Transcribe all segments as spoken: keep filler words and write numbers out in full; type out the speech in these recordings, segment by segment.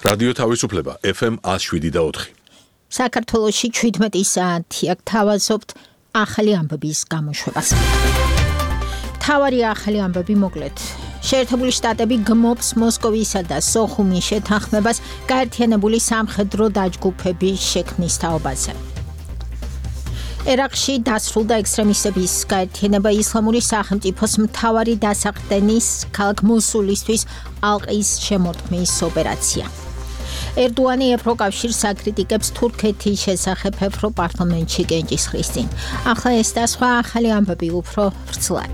რადიო თავისუფლება ეფ ემ one oh seven და four. საქართველოში შვიდმეტი საათი აქ თავაზობთ ახალი ამბების გამოშვებას. თავარი ახალი ამბები მოკლედ. შეერთებული შტატები გმობს მოსკოვისა და სოხუმის შეთანხმებას გაერთიანებული სამხედრო დაჯგუფების შექმნის თაობაზე. ერაყში დასრულდა ექსტრემისტების გაერთიანება ისლამური სახელმწიფოს მთავარი დასაყრდენის ქალაქ მოსულისთვის ალყის შემორტყმის ოპერაცია. ერდოანი ევროკავშირს აკრიტიკებს თურქეთის შესახებ ევროპარლამენტში კენჭისყრის წინ. ახლა ეს და სხვა ახალი ამბები უფრო ვრცლად.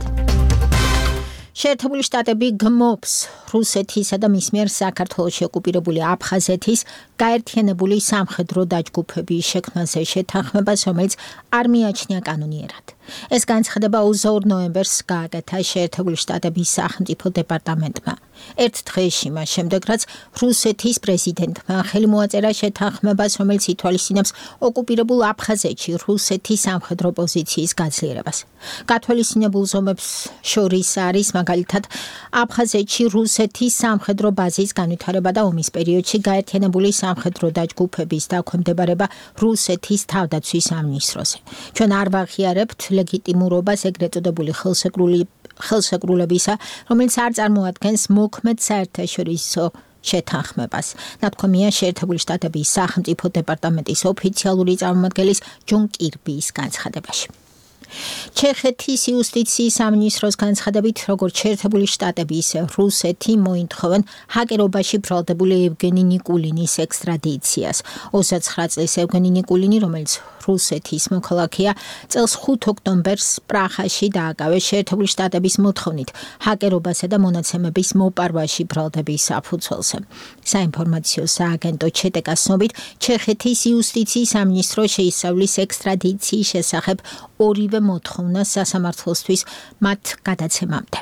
შეერთებული შტატები გმობს რუსეთისა და მის მიერ საქართველოში ოკუპირებული აფხაზეთის გაერთიანებული სამხედრო დაჯგუფების შექმნაზე შეთანხმებას, რომელიც არ მიაჩნია კანონიერად. ეს განცხადება ოცდაორ ნოემბერს გააკეთა შეერთებული შტატების სახელმწიფო დეპარტამენტმა. ერთ დღეში მას შემდეგ, რაც რუსეთის პრეზიდენტმა ხელი მოაწერა შეთანხმებას, რომელიც ითვალისწინებს ოკუპირებულ აფხაზეთში რუსეთის სამხედრო პოზიციის გაძლიერებას. გათვალისწინებულ ზომებს შორის არის მაგალითად აფხაზეთში რუსეთის სამხედრო ბაზის განვითარება და ომის პერიოდში გაერთიანებული სამხედრო დაჯგუფების დაქვემდებარება რუსეთის თავდაცვის სამინისტროზე. ჩვენ არ ვაღიარებთ ლეგიტიმურობას ეგრეთ წოდებული ხელსეკრული ხელსეკრულებისა, რომელიც არ წარმოადგენს მოქმედ საერთაშორისო შეთანხმებას. ნათქვამია შეერთებული შტატების სახელმწიფო დეპარტამენტის ოფიციალური წარმომადგენლის ჯონ კირბის განცხადებაში. ჩეხეთის იუსტიციის სამინისტროს განცხადებით, როგორც შეერთებული შტატები, ისე რუსეთი მოითხოვენ ჰაკერობაში ბრალდებული ევგენი ნიკულინის ექსტრადიციას. ოცდათვრამეტ წლის ევგენი ნიკულინი, რომელიც რუსეთის მოქალაქეა, წელს ხუთ ოქტომბერს პრაღაში დააკავეს შეერთებული შტატების მოთხოვნით ჰაკერობასა და მონაცემების მოპარვაში ბრალდების საფუძველზე. საინფორმაციო სააგენტო ჩეტეკას ცნობით, ჩეხეთის იუსტიციის სამინისტრო შეისწავლის ექსტრადიციის შესახებ ორივე მოთხოვნა სასამართლოსთვის მათ გადაცემამდე.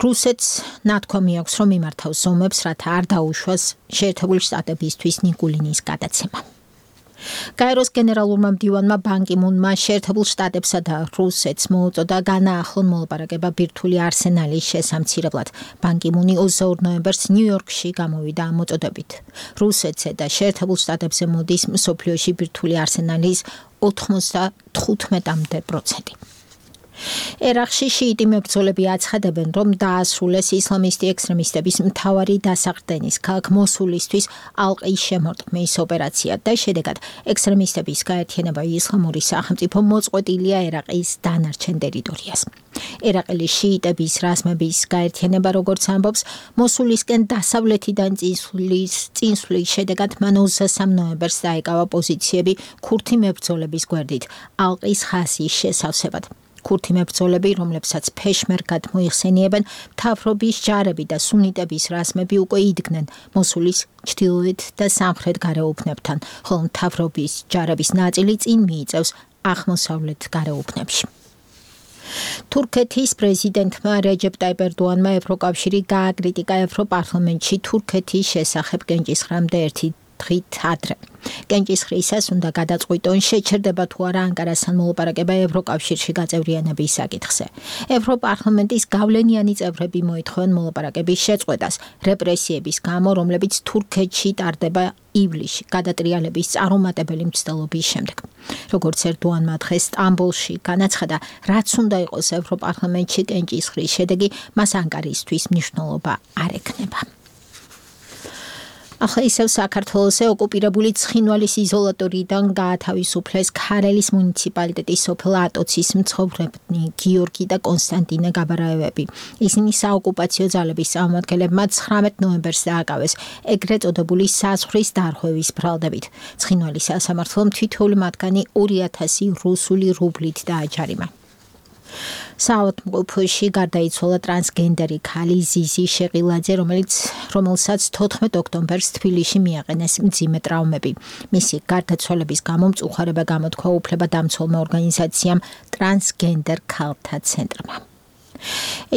რუსეთს ნათქვამი აქვს, რომ იმართავს ზომებს, რათა არ დაუშვას შეერთებული შტატებისთვის ნიკულინის გადაცემა. გაეროს გენერალურმა მდივანმა ბან კი მუნმა შეერთებულ შტატებსა და რუსეთს მოუწოდა განაახლონ მოლაპარაკება ბირთვული არსენალის შესამცირებლად. ბან კი მუნი ოცდაორ ნოემბერს ნიუ-იორკში გამოვიდა ამ მოწოდებით. რუსეთზე და შეერთებულ შტატებზე მოდის მსოფლიოში ბირთვული არსენალის ოთხმოცდათხუთმეტამდე პროცენტი. ერაყში შიიტი მებრძოლები აცხადებენ, რომ დაასრულეს ისლამისტი ექსტრემისტების მთავარი დასაყრდენის ქალაქ მოსულისთვის ალყის შემორტყმის ოპერაცია და შედეგად ექსტრემისტების გაერთიანება ისლამური სახელმწიფო მოწყვეტილია ერაყის დანარჩენ ტერიტორიას. ერაყელი შიიტების რაზმების გაერთიანება, როგორც ამბობს, მოსულისკენ დასავლეთიდან წინსვლის წინსვლის შედეგად მან ოცდასამ ნოემბერს დაეკავა პოზიციები ქურთი მებრძოლების გვერდით ალყის ხაზის შესავსებად. ქურთი მებრძოლები, რომლებსაც ფეშმერგად მოიხსენიებენ, მთავრობის ჯარები და სუნიტების რაზმები უკვე იდგნენ მოსულის ჩრდილოეთ და სამხრეთ გარეუბნებთან, ხოლო მთავრობის ჯარების ნაწილი წინ მიიწევს აღმოსავლეთ გარეუბნებში. თურქეთის პრეზიდენტმა რეჯეპ ტაიპ ერდოანმა ევროკავშირი გააკრიტიკა ევროპარლამენტში თურქეთის შესახებ კენჭისყრამდე ერთი დღით ადრე. კენჭისყრისას უნდა გადაწყვიტონ, შეჩერდება თუ არა ანკარასთან მოლაპარაკება ევროკავშირში გაწევრიანების საკითხზე. ევროპარლამენტის გავლენიანი წევრები მოითხოვენ მოლაპარაკების შეწყვეტას რეპრესიების გამო, რომლებიც თურქეთში ტარდება ივლისში გადატრიალების წარუმატებელი მცდელობის შემდეგ. როგორც ერდოანმა დღეს სტამბოლში განაცხადა, რაც უნდა იყოს ევროპარლამენტში კენჭისყრის შედეგი, მას ანკარისთვის მნიშვნელობა არ ექნება. ახლა ისევ საქართველოსზე ოკუპირებული ცხინვალის იზოლატორიდან გაათავისუფლეს ქარელის მუნიციპალიტეტის სოფელ ატოცის მცხოვრებნი გიორგი და კონსტანტინე გაბარაევები. ისინი საოკუპაციო ძალების წარმომადგენლებმა ცხრამეტ ნოემბერს დააკავეს ეგრეთ წოდებული საზღვრის დარღვევის ბრალდებით. ცხინვალის სასამართლომ თითოეული მათგანი ორი ათასი რუსული რუბლით დააჯარიმა. საავადმყოფოში გარდაიცვალა ტრანსგენდერი ქალი ზიზი შეყილაძე, რომელიც რომელსაც თოთხმეტ ოქტომბერს თბილისში მიაყენეს მძიმე ტრავმები. მისი გარდაცვალების გამო მწუხარება გამოთქვა უფლებადამცველმა ორგანიზაციამ ტრანსგენდერ ქალთა ცენტრმა.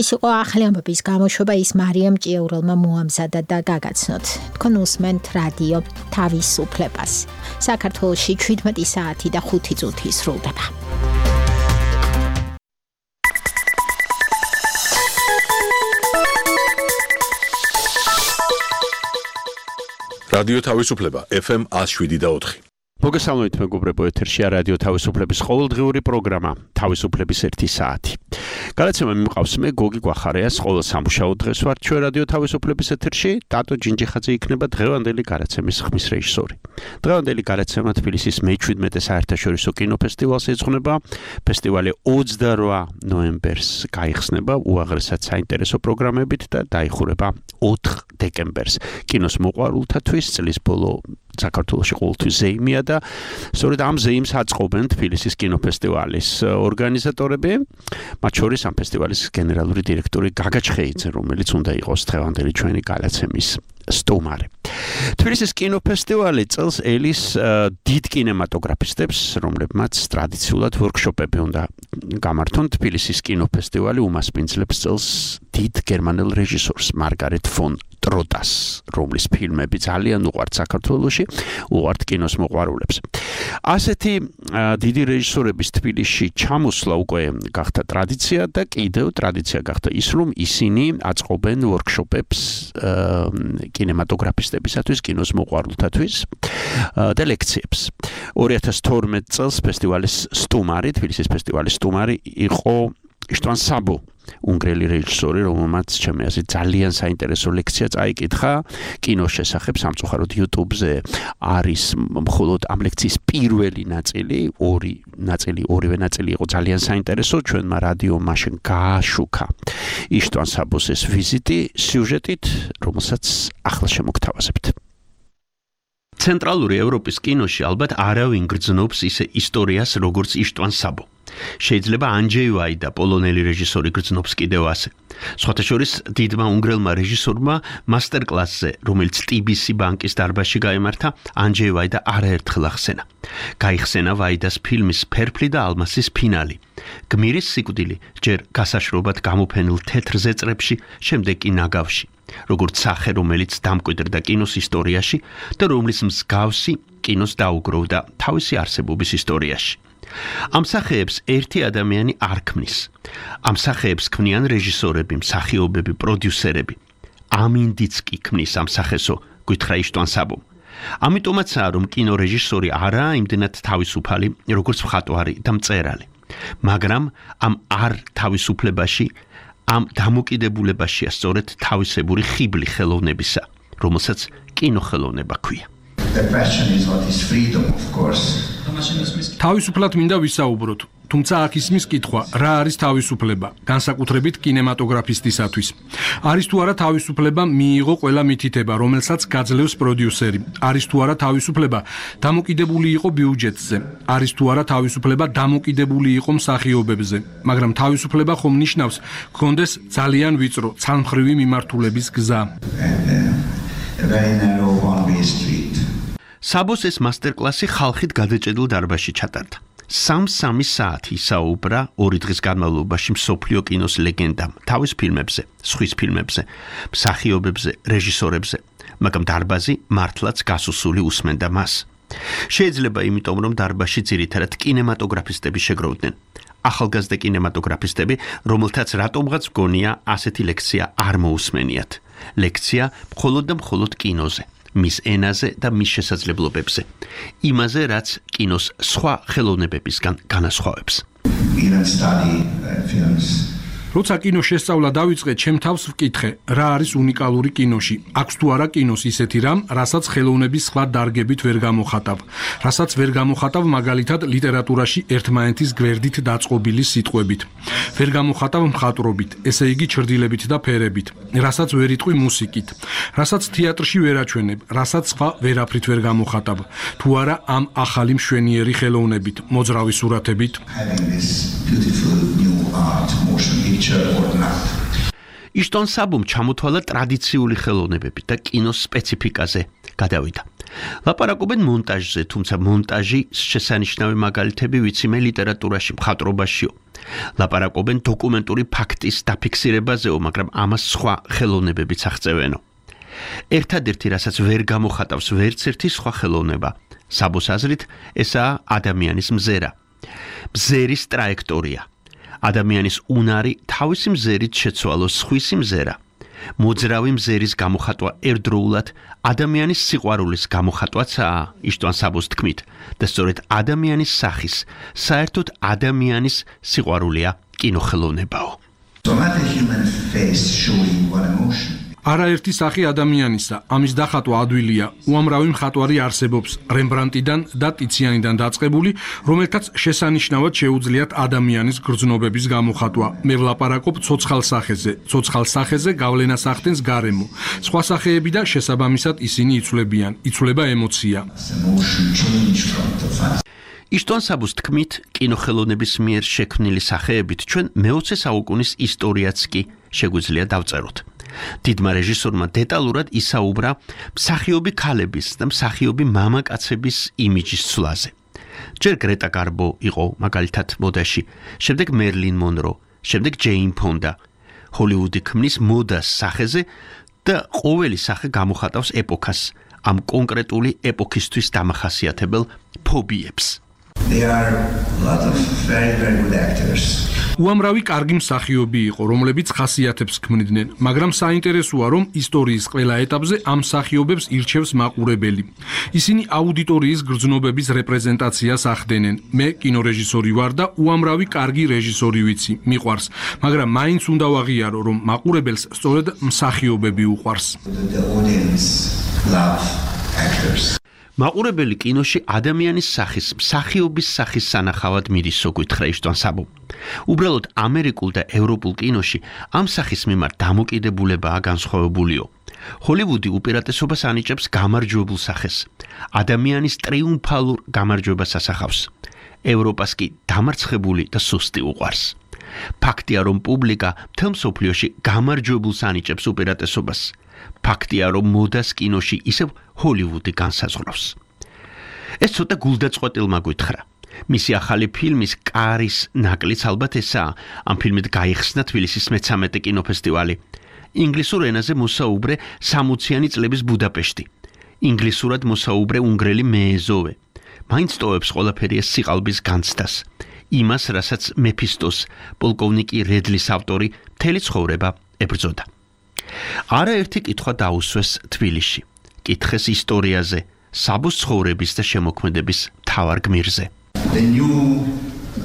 ეს იყო ახალი ამბების გამოშვება, ის მარიამ ჭიაურელმა მოამზადა და გაგაცნოთ. თქვენ უსმენთ რადიო თავისუფლებას. საქართველოში შვიდმეტი საათი და ხუთი წუთი სრულდება. რადიო თავისუფლება ეფ ემ one oh seven point four. მოგესალმებით მეგობრებო, ეთერშია რადიო თავისუფლების ყოველდღიური პროგრამა თავისუფლების ერთი საათი. გადაცემა მიმყავს მე გოგი გვახარიას, ყოველ სამუშაო დღეს ვარ ჩვენ რადიო თავისუფლების ეთერში. ტატო ჯინჯიხაძე იქნება დღევანდელი გადაცემის ხმის რეჟისორი. დღევანდელი გადაცემა თბილისის მეჩვიდმეტე საერთაშორისო კინოფესტივალს ეძღვნება. ფესტივალი ოცდაოთხ ნოემბერს გაიხსნება უაღრესად საინტერესო პროგრამებით და დაიხურება ოთხ დეკემბერს. კინოს მოყვარულთათვის წლის ბოლო საქართველოში ყოველთვის ზეიმია და სწორედ ამ ზეიმს აწყობენ თბილისის კინოფესტივალის ორგანიზატორები, მათ შორის ამ ფესტივალის გენერალური დირექტორი გაგა ჩხეიძე, რომელიც უნდა იყოს დღევანდელი ჩვენი გადაცემის სტუმარი. თბილისის კინოფესტივალი წელს ელის დიდ კინემატოგრაფისტებს, რომლებმაც ტრადიციულად ვორქშოპები უნდა გამართონ. თბილისის კინოფესტივალი უმასპინძლებს წელს დიდ გერმანელ რეჟისორს მარგარეტ ფონ ტროტას, რომლის ფილმები ძალიან უყვართ საქართველოში, უყვართ კინოს მოყვარულებს. ასეთი დიდი რეჟისორების თბილისში ჩამოსვლა უკვე გახდა ტრადიცია და კიდევ ტრადიცია გახდა ის, რომ ისინი აწყობენ ვორქშოპებს კინემატოგრაფისტებისათვის, კინოს მოყვარულთათვის და ლექციებს. ორი ათას თორმეტ წელს ფესტივალის სტუმარი, თბილისის ფესტივალის სტუმარი იყო იშტვან საბო, უნგრელი რეჟისორი, რომელმაც ჩემი აზრით ძალიან საინტერესო ლექცია წაიკითხა კინოს შესახებ. სამწუხაროდ YouTube-ზე არის მხოლოდ ამ ლექციის პირველი ნაწილი, ორი ნაწილი, ორივე ნაწილი იყო ძალიან საინტერესო. ჩვენმა რადიო მაშინ გააშუქა იშტვან საბოს ეს ვიზიტი სიუჟეტით, რომელსაც ახლა შემოგთავაზებთ. ცენტრალური ევროპის კინოში ალბათ არავინ გრძნობს ისე ისტორიას, როგორც იშტვან საბო. შეიძლება ანჯეი ვაიდა, პოლონელი რეჟისორი გრძნობს კიდევ ასე. სხვათა შორის დიდმა უნგრელმა რეჟისორმა მასტერკლასზე, რომელიც ტი ბი სი ბანკის დარბაზში გაემართა, ანჯეი ვაიდა არაერთხელ ახსენა. გაიხსენა ვაიდას ფილმის „ფერფლი და ალმასის“ ფინალი. გმირის სიკვდილი ჯერ გასაშრობად გამოფენილ თეთრ ზეწრებში, შემდეგ კი ნაგავში. როგორც სახე, რომელიც დამკვიდრდა კინოს ისტორიაში და რომლის მსგავსი კინოს დაუგროვდა თავისი არსებობის ისტორიაში. ამ სახეებს ერთი ადამიანი არ ქმნის. ამ სახეებს ქმნიან რეჟისორები, მსახიობები, პროდიუსერები. ამინდიც კი ქმნის ამ სახესო, გითხრა იშტვან საბომ. ამიტომაცაა, რომ კინორეჟისორი არაა იმდენად თავისუფალი, როგორც მხატვარი და მწერალი. მაგრამ ამ არ თავისუფლებაში, ამ დამოკიდებულებაშია სწორედ თავისებური ხიბლი ხელოვნებისა, რომელსაც კინოხელოვნება ქვია. The question is what is freedom, of course. თავისუფლად მინდა ვისაუბროთ, თუმცა აქ ისმის კითხვა, რა არის თავისუფლება, განსაკუთრებით კინემატოგრაფისტისათვის. არის თუ არა თავისუფლება მიიღო ყველა მითითება, რომელსაც გაძლევს პროდიუსერი. არის თუ არა თავისუფლება დამოკიდებული იყო ბიუჯეტზე. არის თუ არა თავისუფლება დამოკიდებული იყო მსახიობებზე. მაგრამ თავისუფლება ხომ ნიშნავს, გქონდეს ძალიან ვიწრო, ცალმხრივი მიმართულების გზა. A very narrow one-way street. საბოს ეს მასტერკლასი ხალხით გადაჭედილ დარბაზში ჩატარდა. სამ-სამი საათი ისაუბრა ორი დღის განმავლობაში მსოფლიო კინოს ლეგენდამ, თავის ფილმებზე, სხვის ფილმებზე, მსახიობებზე, რეჟისორებზე, მაგრამ დარბაზი მართლაც გასუსული უსმენდა მას. შეიძლება იმიტომ, რომ დარბაზში ძირითადად კინემატოგრაფისტები შეგროვდნენ. ახალგაზრდა კინემატოგრაფისტები, რომელთაც რატომღაც გონია ასეთი ლექცია არ მოусმენიათ. ლექცია მხოლოდ და მხოლოდ კინოზე, მის ენაზე და მის შესაძლებლობებზე. იმაზე, რაც კინოს სხვა ხელოვნებებისგან განასხვავებს. Even study uh, films. როცა კინო შესწავლა დავიწყე, ჩემ თავს ვკითხე, რა არის უნიკალური კინოში. აქვს თუ არა კინოს ისეთი რამ, რასაც ხელოვნების სხვა დარგებით ვერ გამოხატავ, რასაც ვერ გამოხატავ მაგალითად ლიტერატურაში ერთმანეთის გვერდით დაწყობილი სიტყვებით. ვერ გამოხატავ მხატვრობით, ესე იგი ჩრდილებით და ფერებით, რასაც ვერ იტყვი მუსიკით, რასაც თეატრში ვერ აჩვენებ, რასაც სხვა ვერაფრით ვერ გამოხატავ. თუ არა ამ ახალი მშვენიერი ხელოვნებით, მოძრავი სურათებით. Having this beautiful new art, motion picture or not. იშტვან საბომ ჩამოთვალა ტრადიციული ხელოვნებები და კინოს სპეციფიკაზე გადავიდა. ლაპარაკობენ მონტაჟზე, თუმცა მონტაჟი შესანიშნავი მაგალითები ვიცი მე ლიტერატურაში, მხატვრობაშიო. ლაპარაკობენ დოკუმენტური ფაქტის დაფიქსირებაზეო, მაგრამ ამას სხვა ხელოვნებებიც აღწევენო. ერთადერთი, რასაც ვერ გამოხატავს ვერც ერთი სხვა ხელოვნება, საბოს აზრით, ესაა ადამიანის მზერა. მზერის ტრაექტორია. ადამიანის უნარი თავისი მზერით შეცვალოს სხვისი მზერა. მოძრავი მზერის გამოხატვა ერთდროულად ადამიანის სიყვარულის გამოხატვაცაა იშტვან საბოს თქმით და სწორედ ადამიანის სახის, საერთოდ ადამიანის სიყვარულია კინოხელოვნებაო. არაერთი სახი ადამიანისა, ამის დახატვა ადვილია. უამრავი მხატვარი არსებობს რემბრანდტიდან და ტიციანიდან დაწყებული, რომელთაც შესანიშნავად შეუძლიათ ადამიანის გრძნობების გამოხატვა. მე ვლაპარაკობ ცოცხალ სახეზე. ცოცხალ სახეზე გავლენას ახდენს გარემო. სხვა სახეები და შესაბამისად ისინი იცვლებიან. იცვლება ემოცია. იშტვან საბოს თქმით, კინოხელოვნების მიერ შექმნილი სახეებით ჩვენ მეოცე საუკუნის ისტორიაც კი შეგვიძლია დავწეროთ. დიდმა რეჟისორმა დეტალურად ისაუბრა მსახიობი ქალების და მსახიობი მამაკაცების იმიჯის ცვლაზე. ჯერ გრეტა გარბო იყო მაგალითად მოდაში, შემდეგ მერლინ მონრო, შემდეგ ჯეინ ფონდა. ჰოლივუდი ქმნის მოდას სახეზე და ყოველი სახე გამოხატავს ეპოქას, ამ კონკრეტული ეპოქისთვის დამახასიათებელ ფობიებს. There are a lot of very, very good actors. უამრავი კარგი მსახიობი იყო, რომლებიც ხასიათებს ქმნიდნენ, მაგრამ საინტერესოა, რომ ისტორიის ყველა ეტაპზე ამ მსახიობებს ირჩევს მაყურებელი. ისინი აუდიტორიის გრძნობების რეპრეზენტაციას ახდენენ. მე კინორეჟისორი ვარ და უამრავი კარგი რეჟისორი ვიცი, მიყვარს, მაგრამ მაინც უნდა ვაღიარო, რომ მაყურებელს სწორედ მსახიობები უყვარს. The audience love actors. მაყურებელი კინოში ადამიანის სახის, მსახიობის სახის სანახავად მიდისო გითხრა იშტვან საბო. უბრალოდ ამერიკულ და ევროპულ კინოში ამ სახის მიმართ დამოკიდებულებაა განსხვავებულიო. ჰოლივუდი უპირატესობას ანიჭებს გამარჯვებულ სახეს. ადამიანის ტრიუმფალურ გამარჯვებას ასახავს. ევროპას კი დამარცხებული და სუსტი უყვარს. ფაქტია, რომ პუბლიკა მთელ მსოფლიოში გამარჯვებულს ანიჭებს უპირატესობას. ფაქტია, რომ მოდას კინოში ისევ ჰოლივუდი განსაზღვრავს. ეს ცოტა გულდაწყვეტილმა გითხრა. მისი ახალი ფილმის კარის ნაკლიც ალბათ ესაა. ამ ფილმით გაიხსნა თბილისის მეცამეტე კინოფესტივალი. ინგლისურ ენაზე მოსაუბრე სამოციანი წლების ბუდაპეშტი. ინგლისურად მოსაუბრე უნგრელი მეეზოვე. მაინც ტოვებს ყველაფერი ეს სიყალბის განცდას. იმას, რასაც მეფისტოს, პოლკოვნიკი რედლის ავტორი მთელი ცხოვრება ებრძოდა. არაერთი კითხვა დაუსვეს თბილისში. კითხეს ისტორიაზე, საბოს ცხოვრების და შემოქმედების მთავარ გმირზე. The new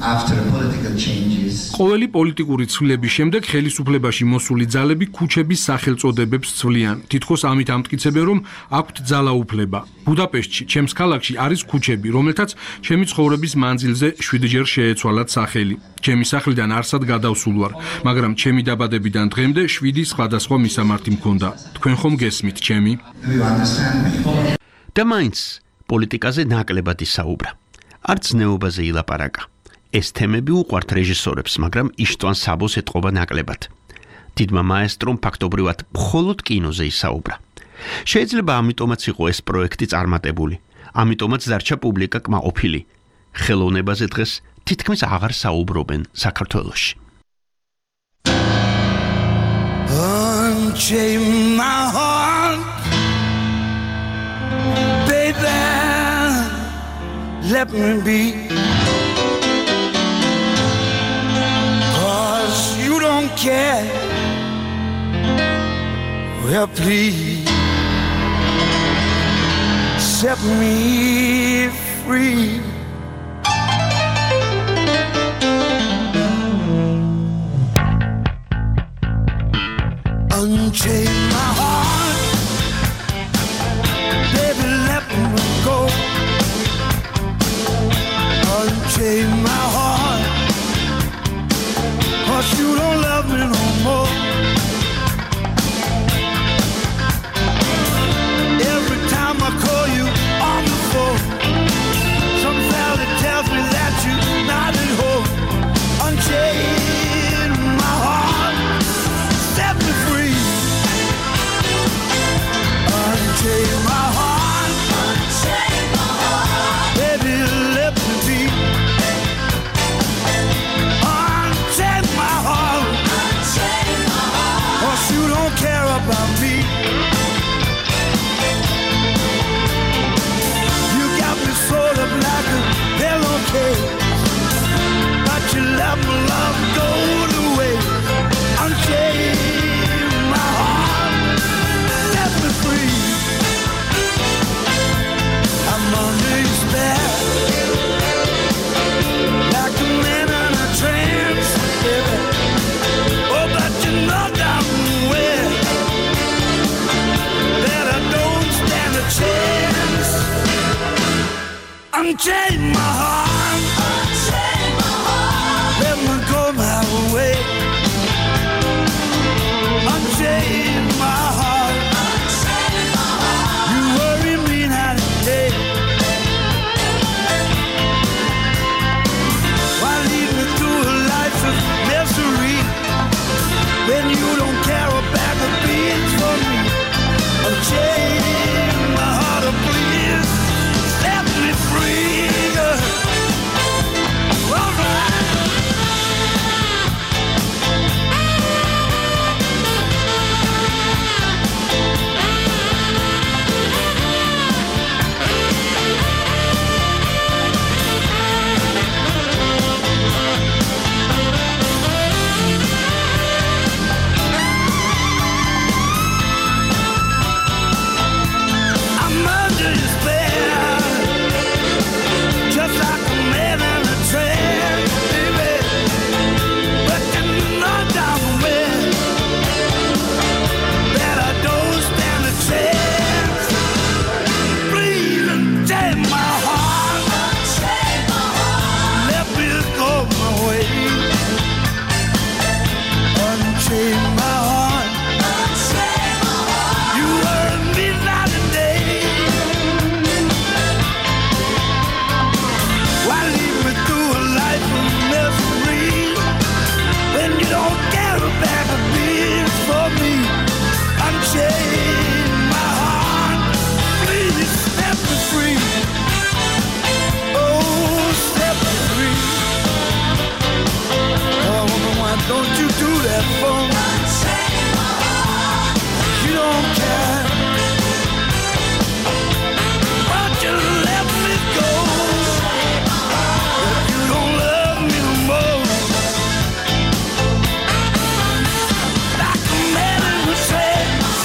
after political changes. ყოველი პოლიტიკური ცვლილების შემდეგ ხელისუფლებაში მოსული ძალები ქუჩების სახელწოდებებს ცვლიან. თითქოს ამით ამტკიცებენ, რომ აქვთ ძალაუფლება. ბუდაპეშტში, ჩემს ქალაქში არის ქუჩები, რომელთაც ჩემი ცხოვრების მანძილზე შვიდჯერ შეეცვალათ სახელი. ჩემი სახლიდან არსად გადავსულ ვარ, მაგრამ ჩემი დაბადებიდან დღემდე შვიდი სხვადასხვა მისამართი მქონდა. თქვენ ხომ გესმით, ჩემი? Do you understand me? და მაინც პოლიტიკაზე ნაკლებად ისაუბრა. არც ნეობაზე ილაპარაკა. ეს თემები უყვართ რეჟისორებს, მაგრამ იშტვან საბოს ეტყობა ნაკლებად. დიდმა მაესტრომ ფაქტობრივად მხოლოდ კინოზე ისაუბრა. შეიძლება ამიტომაც იყო ეს პროექტი წარმატებული. ამიტომაც დარჩა პუბლიკა კმაყოფილი. ხელოვნებაზე დღეს თითქმის აღარ საუბრობენ საქართველოში. Unchain my heart, baby, let me be. Cause you don't care. Well, please set me free. Unchain my heart, baby, let me go. Unchain my heart, cause you don't love me no more. Every time I call you on the phone, some fella tells me that you're not at home. Unchain my heart, set me free. Unchain my heart, unchain my heart, baby, let me be. Unchain my heart, unchain my unchain my heart, unchain my heart, let me go my way, unchain my heart, unchain my heart, you worry me night and day, why lead me through a life of misery when you don't care a bag of beans for me, unchain my heart, oh please set me free, all right. I'm under your spell, just like a man in a trance, baby. But you know down well that I don't stand a chance. Please unchain my heart, unchain my heart, let me go my way, unchain my heart, unchain my heart, you earn me night and day, why lead me through a life of misery when you don't care a bag of beans for me, unchain my heart, please set me free, oh set me free, oh woman, why don't you do that for me, unchain my heart, you don't care, why don't you let me go, if you don't love me no more, like a man in a trance,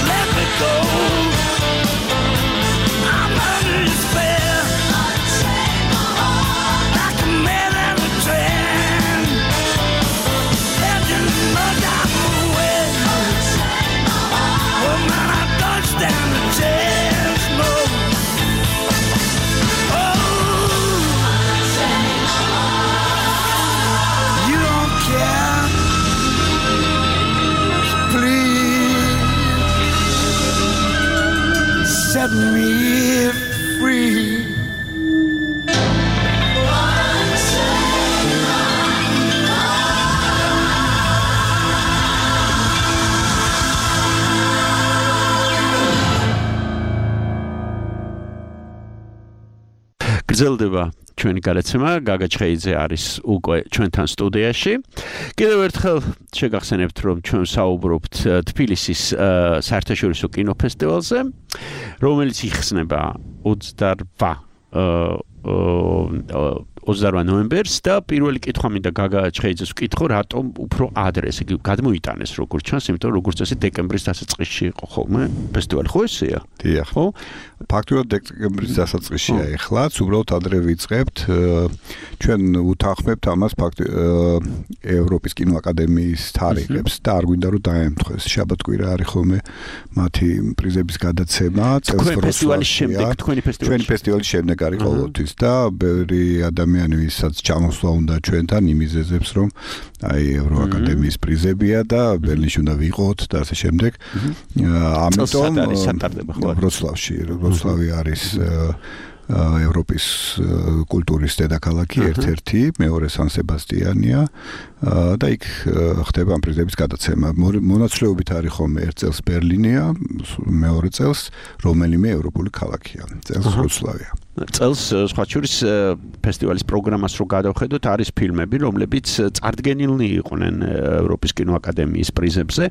let me go, I'm under your spell, like a man in a trance, let you know down the way, oh man, I don't stand a chance, no, oh, you don't care, please set me free. გრძელდება ჩვენი გადაცემა. გაგა ჩხეიძე არის უკვე ჩვენთან სტუდიაში. კიდევ ერთხელ შეგახსენებთ, რომ ჩვენ საუბრობთ თბილისის საერთაშორისო კინოფესტივალზე, რომელიც იხსნება ოცდარვა ნოემბერს და პირველი კითხვა მინდა გაგა ჩხეიძეს ვკითხო, რატომ უფრო ადრე, ესე იგი გადმოიტანეს როგორც ჩანს, იმიტომ რომ როგორც წესი დეკემბრის დასაწყისში იყო ხოლმე ფესტივალი, ხო ესეა? დიახ. ხო? ფაქტობრივად დეკემბრის დასაწყისშია ეხლაც, უბრალოდ ადრე ვიწყებთ. ჩვენ უთანხმებთ ამას ფაქტ ევროპის კინოაკადემიის თარიღებს და არ გვინდა რომ დაემთხვეს. შაბათ-კვირა არის ხოლმე მათი პრიზების გადაცემა, წელს ფესტივალის შემდეგ, თქვენი ფესტივალი. ჩვენი ფესტივალის შემდეგ არის ყოველთვის და ბევრი ადამიანი, ვისაც ჩამოსვლა უნდა ჩვენთან იმიზეზებს, რომ აი ევროაკადემიის პრიზებია და ბერლინში უნდა ვიყოთ და ასე შემდეგ. ამიტომ ვროცლავში, ვროცლავი არის ევროპის კულტურის დედაქალაქი ერთ-ერთი, მეორე სან სებასტიანია და იქ ხდება ამ პრიზების გადაცემა. მონაცვლეობით არის ხოლმე ერთ წელს ბერლინია, მეორე წელს რომელიმე ევროპული ქალაქია, წელს ვროცლავია. წელს სხვა შორის ფესტივალის პროგრამას რო გადავხედოთ, არის ფილმები, რომლებიც წარდგენილნი იყვნენ ევროპის კინოაკადემიის პრიზებზე.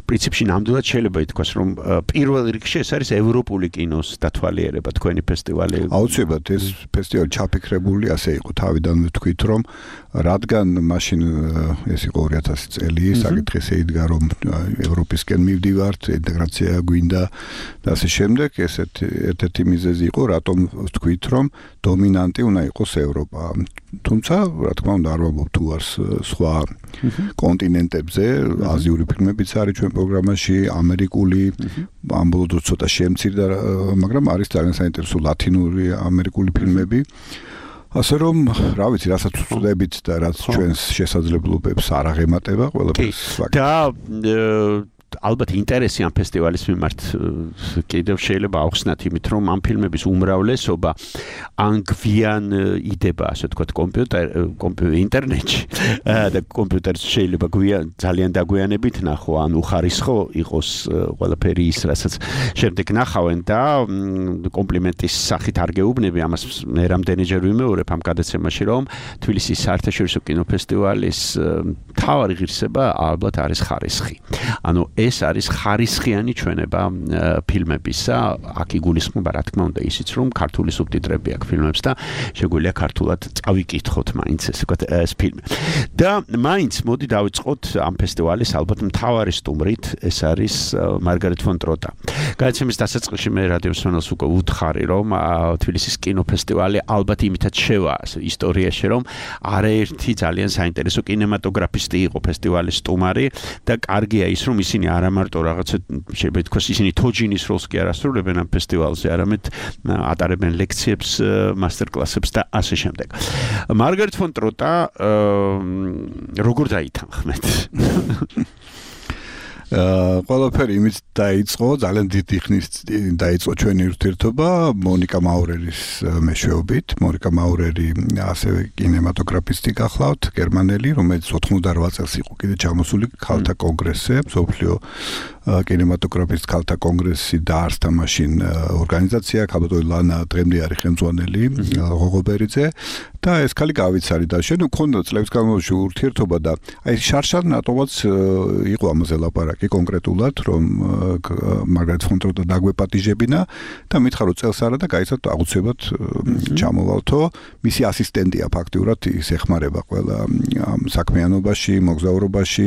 პრინციპში ნამდვილად შეიძლება ითქვას, რომ პირველ რიგში ეს არის ევროპული კინოს დათვალიერება თქვენი ფესტივალი. აუცილებლად ეს ფესტივალი ჩაფიქრებული ასე იყო, თავიდანვე ვთქვით, რომ რადგან მაშინ ეს იყო ორი ათასი წელი, საკითხი შეიდგა რომ ევროპისკენ მივდივართ, ინტეგრაცია გვინდა და ასე შემდეგ, ესეთ ერთ-ერთი მიზეზი იყო, რატომ ვთქვით, რომ დომინანტი უნდა იყოს ევროპა. თუმცა, რა თქმა უნდა, არ ვამბობ თუ არ სხვა კონტინენტებზე, აზიური ფილმებიც არის ჩვენ პროგრამაში, ამერიკული, ამ ბოლო დროს ცოტა შემცირდა, მაგრამ არის ძალიან საინტერესო ლათინური, ამერიკული ფილმები. ასე რომ, რა ვიცი, რასაც ვწდებით და რაც ჩვენს შესაძლებლობებს არ აღემატება, ყველაფერს ვაკეთებ. და ალბათ ინტერესი ამ ფესტივალის მიმართ კიდევ შეიძლება ახსნათ იმით, რომ ამ ფილმების უმრავლესობა ან გვიან იდება, ასე ვთქვათ, კომპიუტერ, კომპიუტერ ინტერნეტში და კომპიუტერს შეიძლება გვიან ძალიან დაგვიანებით ნახო, ან უხარისხო იყოს ყველაფერი ის, რასაც შემდეგ ნახავენ და კომპლიმენტის სახით არ გეუბნები, ამას მე რამდენიჯერ ვიმეორებ ამ გადაცემაში, რომ თბილისის საერთაშორისო კინოფესტივალის მთავარი ღირსება ალბათ არის ხარისხი. ანუ ეს არის ხარისხიანი ჩვენება ფილმებისა, აქ იგულისხმება რა თქმა უნდა ისიც, რომ ქართული სუბტიტრები აქვს ფილმებს და შეგვიძლია ქართულად წავიკითხოთ მაინც ესე ვთქვათ ეს ფილმი. და მაინც მოდი დავიწყოთ ამ ფესტივალის ალბათ მთავარი სტუმრით, ეს არის მარგარეტ ფონ ტროტა. გადაცემის დასაწყისში მე რადიო მსმენელს უკვე ვუთხარი, რომ თბილისის კინოფესტივალი ალბათ იმითაც შევა ისტორიაში, რომ არაერთი ძალიან საინტერესო კინემატოგრაფისტი იყო ფესტივალის სტუმარი და კარგია ის, რომ ისინი არა მარტო რაღაცა შეიძლება ითქვას ისინი თოჯინის როლს კი არ ასრულებენ ამ ფესტივალზე, არამედ ატარებენ ლექციებს, მასტერკლასებს და ასე შემდეგ. მარგარეტ ფონ ტროტა როგორ დაითანხმეთ? ყველაფერი იმით დაიწყო, ძალიან დიდი ხნის დაიწყო ჩვენი ურთიერთობა მონიკა მაურერის მეშვეობით. მონიკა მაურერი ასევე კინემატოგრაფისტი გახლავთ, გერმანელი, რომელიც ოთხმოცდაოთხ წელს იყო კიდე ჩამოსული ქალთა კონგრესზე, მსოფლიო კინემატოგრაფისტ ქალთა კონგრესი დაარსდა მაშინ ორგანიზაცია, ქალბატონი ლანა დღემდე არის ხელმძღვანელი ღოღობერიძე და ეს ქალი გავიცარი და შენ მქონდა წლების განმავლობაში ურთიერთობა და აი შარშან რატომაც იყო ამაზე ლაპარაკი კონკრეტულად, რომ მარგარეტ ფონ ტროტა დაგვეპატიჟებინა და მითხრა რომ წელს არა და გაიცოთ აუცილებლად ჩამოვალთო. მისი ასისტენტია ფაქტიურად, ის ეხმარება ყველა ამ საქმიანობაში, მოგზაურობაში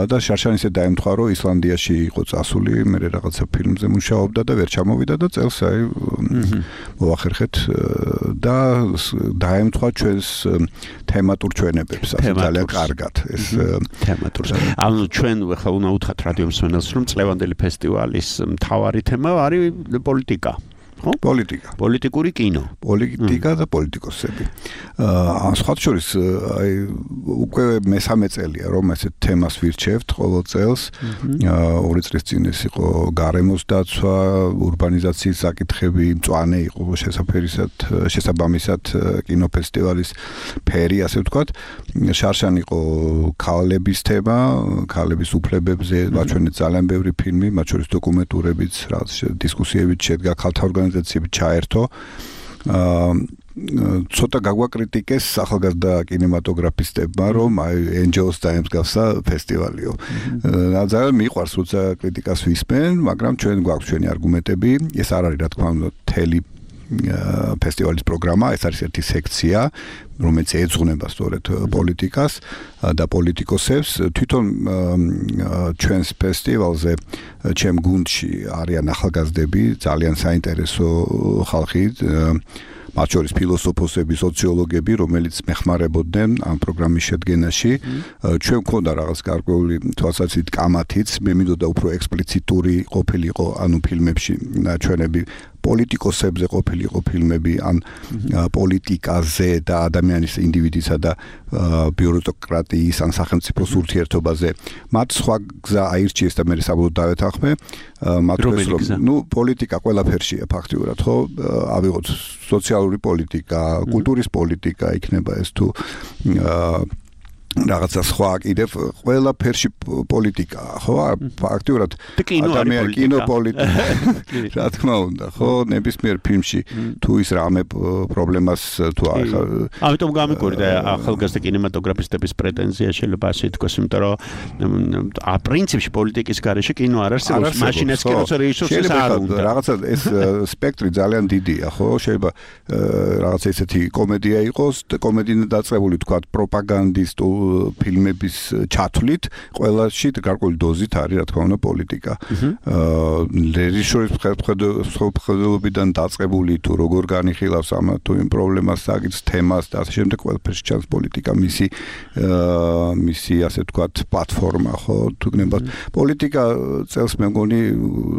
და შარშან ისე დაემთხვა, რომ ისლანდიაში იყო წასული, მე რაღაცა ფილმზე მუშაობდა და ვერ ჩამოვიდა და წელს აი მოახერხეთ და დაემთხვა ჩვენს თემატურ ჩვენებებს, ასე ძალიან კარგად ეს თემატურს. ანუ ჩვენ ახლა უნდა უთხრათ რადიო მსმენელს, რომ წლევანდელი ფესტივალის მთავარი თემა არის პოლიტიკა. ხო? პოლიტიკა. პოლიტიკური კინო. პოლიტიკა და პოლიტიკოსები. აა სხვათა შორის აი უკვე მესამე წელია რომ ესეთ თემას ვირჩევთ ყოველ წელს. აა ორი წლის წინ ეს იყო გარემოს დაცვა, ურბანიზაციის საკითხები, მწვანე იყო შესაძფერისად, შესაბამისად კინოფესტივალის ფერი, ასე ვთქვათ. შარშან იყო ქალების თემა, ქალების უფლებებზე, ვაჩვენეთ ძალიან ბევრი ფილმი, მათ შორის დოკუმენტურებიც, რაც დისკუსიებიც შედგა ქალთა ორგანიზაციები ჩაერთო. აა ცოტა გაგვაკრიტიკეს ახალგაზრდა კინემატოგრაფისტებმა, რომ აი ენჯელს დაემსგავსა ფესტივალიო. ძალიან მიყვარს როცა კრიტიკას ვისმენ, მაგრამ ჩვენ გვაქვს ჩვენი არგუმენტები. ეს არ არის რა თქმა უნდა თელი ფესტივალის პროგრამა, ეს არის ერთი სექცია, რომელიც ეძღვნება სწორედ პოლიტიკას და პოლიტიკოსებს. თვითონ ჩვენს ფესტივალზე ჩემ გუნდში არიან ახალგაზრდები, ძალიან საინტერესო ხალხი, მათ შორის ფილოსოფოსები, სოციოლოგები, რომელიც მეხმარებოდნენ ამ პროგრამის შედგენაში. ჩვენ მქონდა რაღაც გარკვეული თვალსაზრისით კამათიც, მე მინდოდა უფრო ექსპლიციტური ყოფილიყო, ანუ ფილმებში ნაჩვენები პოლიტიკოსებზე ყოფილიყო ფილმები, ან პოლიტიკაზე და ადამიანის ინდივიდისა და ბიუროკრატიის ან სახელმწიფოს ურთიერთობაზე. მათ სხვა გზა აირჩიეს და მე საბოლოოდ დავეთანხმე. მათ რომ ნუ პოლიტიკა ყველაფერშია ფაქტიურად, ხო? ავიღოთ სოციალური პოლიტიკა, კულტურის პოლიტიკა იქნება ეს თუ რაღაცა სხვა კიდევ ყველა ფერში პოლიტიკაა, ხო? ფაქტიურად ადამიანი კინოპოლიტიკა. რა თქმა უნდა, ხო? ნებისმიერ ფილმში თუ ის რამე პრობლემას თუ ახლა ამიტომ გამიგორდა ახალგაზრდა კინემატოგრაფისტების პრეტენზია შეიძლება ასე ითქვას, იმიტომ რომ ა პრინციპში პოლიტიკის გარეშე კინო არ არსებობს, მაშინაც კინოს რეჟისორს არ უნდა. რაღაცა ეს სპექტრი ძალიან დიდია, ხო? შეიძლება რაღაცა ესეთი კომედია იყოს, კომედინა დაწყებული თქვა პროპაგანდისტულ ფილმების ჩათვლით, ყველაში გარკვეული დოზით არის, რა თქმა უნდა, პოლიტიკა. აა რეჟისორის მხედველობიდან დაწყებული თუ როგორ განიხილავს ამ თუ იმ პრობლემას, საკითხს, თემას და ასე შემდეგ, ყველაფერში ჩანს პოლიტიკა, მისი აა მისი ასე ვთქვათ, პლატფორმა, ხო, თუ გნებავთ. პოლიტიკა წელს მე მგონი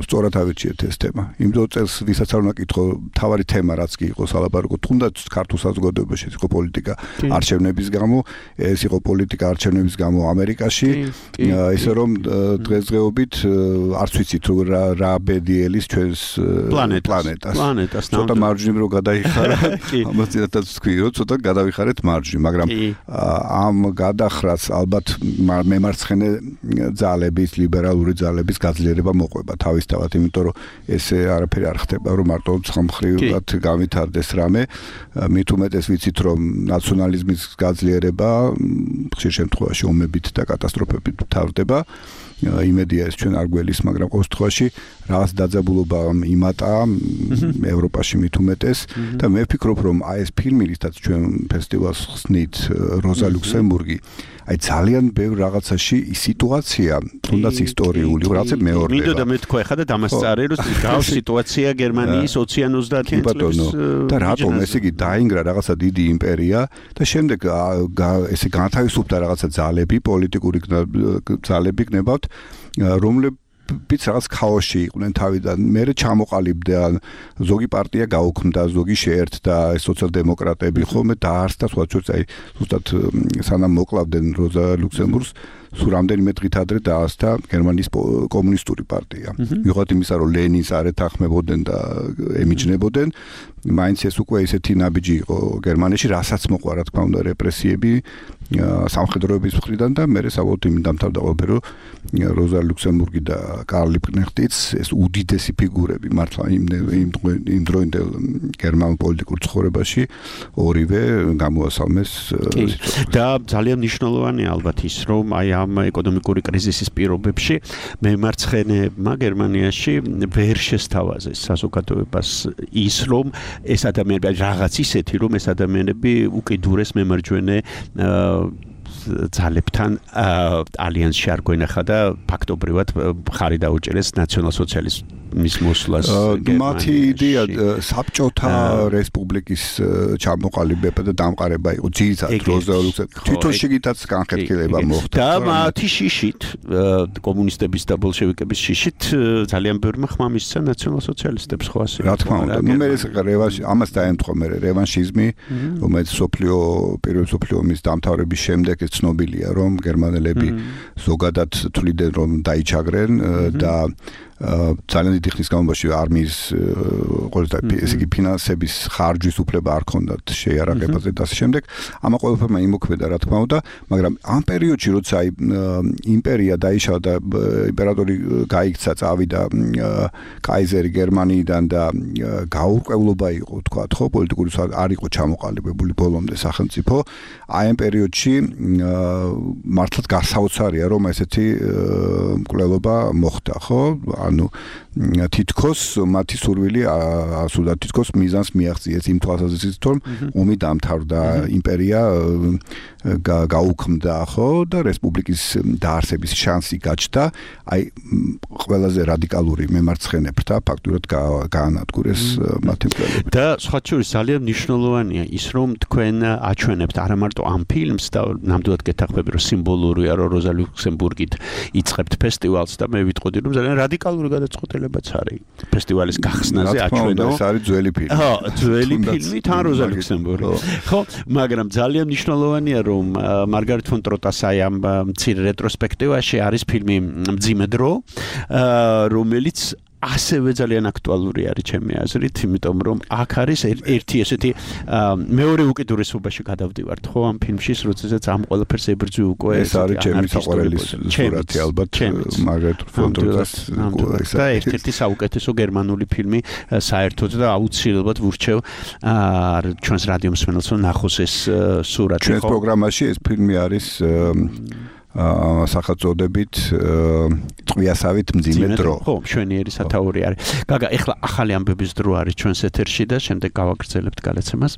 სწორად ავირჩიეთ ეს თემა. იმიტომ წელს ვისაც არ უნდა კითხო, თავარი თემა რაც კი იყო სალაპარაკო, თუნდაც ქართულ საზოგადოებაში იყო პოლიტიკა არჩევნების გამო, ეს იყო პოლიტიკა არჩევნების გამო ამერიკაში, ისე რომ დღესდღეობით არც ვიცით რა რა ბედიელის ჩვენს პლანეტას. პლანეტას ცოტა მარჯვნივ რო გადაიხარა, ამას ძირითადად ვთქვი, რომ ცოტა გადავიხარეთ მარჯვნივ, მაგრამ ამ გადახრას ალბათ მემარცხენე ძალების, ლიბერალური ძალების გაძლიერება მოყვება თავისთავად, იმიტომ რომ ესე არაფერი არ ხდება, რომ მარტო ცხამხრივად გავითარდეს რამე, მით უმეტეს ვიცით, რომ ნაციონალიზმის გაძლიერება ხშირ შემთხვევაში ომებით და კატასტროფებით თავდება. იმედია ეს ჩვენ არ გველის, მაგრამ ყოველ შემთხვევაში რაღაც დაძაბულობა იმატა ევროპაში მით უმეტეს და მე ვფიქრობ, რომ აი ეს ფილმი, რითაც ჩვენ ფესტივალს ხსნით, როზა ლუქსემბურგი, აი ძალიან ბევრ რაღაცაში ის სიტუაცია, თუნდაც ისტორიული, რაღაცა მეორდება. მინდოდა მე თქვა ხა და დამასწარე, რომ გავს სიტუაცია გერმანიის ოციან ოცდაათიან წლის და რატომ ესე იგი დაინგრა რაღაცა დიდი იმპერია და შემდეგ ესე განთავისუფლდა რაღაცა ძალები, პოლიტიკური ძალები გნებავთ, რომლებიც რაღაც ქაოსში იყვნენ თავიდან, მერე ჩამოყალიბდნენ, ზოგი პარტია გაუქმდა, ზოგი შეერთდა, სოციალ-დემოკრატები ხოლმე დაარსდა, სხვა შორის აი ზუსტად სანამ მოკლავდნენ როზა ლუქსემბურგს, სულ რამდენიმე დღით ადრე დაარსდა გერმანიის კომუნისტური პარტია. მიუხედავად იმისა, რომ ლენინს არ ეთანხმებოდნენ და ემიჯნებოდნენ, მაინც ეს უკვე ესეთი ნაბიჯი იყო გერმანიაში, რასაც მოყვა, რა თქმა უნდა, რეპრესიები სამხედროების მხრიდან და მერე საბოლოოდ იმ დამთავრდა ყველაფერი, რომ როზა ლუქსემბურგი და კარლ ლიპკნეხტიც ეს უდიდესი ფიგურები მართლა იმ იმ დროინდელ გერმანულ პოლიტიკურ ცხოვრებაში ორივე გამოასალმეს და ძალიან მნიშვნელოვანია ალბათ ის, რომ აი ამ ეკონომიკური კრიზისის პირობებში მემარცხენეებმა გერმანიაში ვერ შესთავაზეს საზოგადოებას ის, რომ ეს ადამიანები რაღაც ისეთი, რომ ეს ადამიანები უკიდურეს მემარჯვენე ძალებთან ალიანსში არ გვენახა და ფაქტობრივად ხარი დაუჭერეს ნაციონალ-სოციალიზმის მოსვლას. მათი იდეა საბჭოთა რესპუბლიკის ჩამოყალიბება და დამყარება იყო ძირითადად როზა ლუქსემბურგის თვითონ შიგითაც განხეთქილება მოხდა. და მათი შიშით, კომუნისტების და ბოლშევიკების შიშით ძალიან ბევრმა ხმა მისცა ნაციონალ-სოციალისტებს ხო ასე. რა თქმა უნდა, ნუ მე ეს რევანში ამას დაემთხვა მე რევანშიზმი, რომელიც სოფლიო პირველ სოფლიო ომის დამთავრების შემდეგ ცნობილია, რომ გერმანელები ზოგადად თვლიდნენ, რომ დაიჩაგრენ და ძალიან დიდი ხნის განმავლობაში არმიის ყოველთა ესე იგი ფინანსების ხარჯვის უფლება არ ქონდათ შეიარაღებაზე და ასე შემდეგ. ამა ყველაფერმა იმოქმედა, რა თქმა უნდა, მაგრამ ამ პერიოდში, როცა აი იმპერია დაიშალა და იმპერატორი გაიქცა, წავიდა კაიზერი გერმანიიდან და გაურკვევლობა იყო, თქვათ, ხო, პოლიტიკური არ იყო ჩამოყალიბებული ბოლომდე სახელმწიფო. აი ამ პერიოდში მართლაც გასაოცარია, რომ ესეთი მკვლელობა მოხდა, ხო? ანუ თითქოს მათი სურვილი ასულა თითქოს მიზანს მიაღწიეს იმ თვალსაზრისით, რომ ომი დამთავრდა, იმპერია გაუქმდა, ხო, და რესპუბლიკის დაარსების შანსი გაჩნდა. აი ყველაზე რადიკალური მემარცხენეებთა ფაქტურად გაანადგურეს მათი მკვლელობა. და სხვა შორის ძალიან მნიშვნელოვანია ის, რომ თქვენ აჩვენებთ არა მარტო ამ ფილმს და ნამდვილად გეთანხმები, რომ სიმბოლურია, რომ როზა ლუქსემბურგით იწყებთ ფესტივალს და მე ვიტყოდი, რომ ძალიან რადიკალური გადაწყვეტილებაც არის ფესტივალის გახსნაზე აჩვენო. ეს არის ძველი ფილმი. ხო, ძველი ფილმი თან როზა ლუქსემბურგი. ხო, მაგრამ ძალიან მნიშვნელოვანია, რომ მარგარეთ ფონ ტროტასაი ამ მცირე რეტროსპექტივაში არის ფილმი მძიმე დრო, რომელიც ასევე ძალიან აქტუალური არის ჩემი აზრით, იმიტომ რომ აქ არის ერთი ესეთი მეორე უკიდურესობაში გადავდივართ ხო ამ ფილმში, როდესაც ამ ყველაფერს ებრძვი უკვე ეს არის ჩემი საყვარელი სურათი ალბათ მარგარეტ ფონტროტას და ერთ-ერთი საუკეთესო გერმანული ფილმი საერთოდ და აუცილებლად ვურჩევ ჩვენს რადიო მსმენელს რომ ნახოს ეს სურათი ხო. ჩვენს პროგრამაში ეს ფილმი არის სახელწოდებით წვიასავით მძიმე დრო. ხო, მშვენიერი სათაური არის. გაგა, ეხლა ახალი ამბების დრო არის ჩვენს ეთერში და შემდეგ გავაგრძელებთ გადაცემას.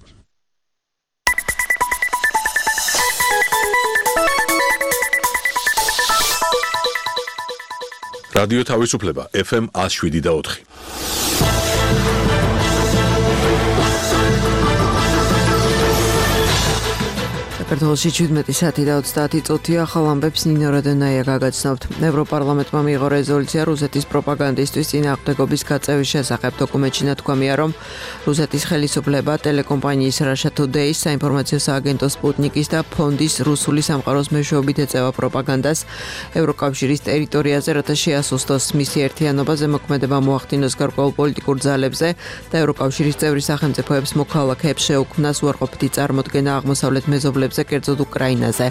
რადიო თავისუფლება ეფ ემ one oh seven და four. საქართველოში შვიდმეტი საათი და ოცდაათი წუთია ახალ ამბებს ნინო როდონაია გაგაცნობთ. ევროპარლამენტმა მიიღო რეზოლუცია რუსეთის პროპაგანდისტვის წინააღმდეგობის გაწევის შესახებ. დოკუმენტში ნათქვამია, რომ რუსეთის ხელისუფლება ტელეკომპანიის Russia Today-ის საინფორმაციო სააგენტო სპუტნიკის და ფონდის რუსული სამყაროს მეშვეობით ეწევა პროპაგანდას ევროკავშირის ტერიტორიაზე, რათა შეასუსტოს მისი ერთიანობა, ზემოქმედება მოახდინოს გარკვეულ პოლიტიკურ ძალებზე და ევროკავშირის წევრი სახელმწიფოებს მოქალაქეებს შეუქმნას უარყოფითი წარმოდგენა აღმოსავლეთ მეზობლებზე, კერძოდ უკრაინაზე.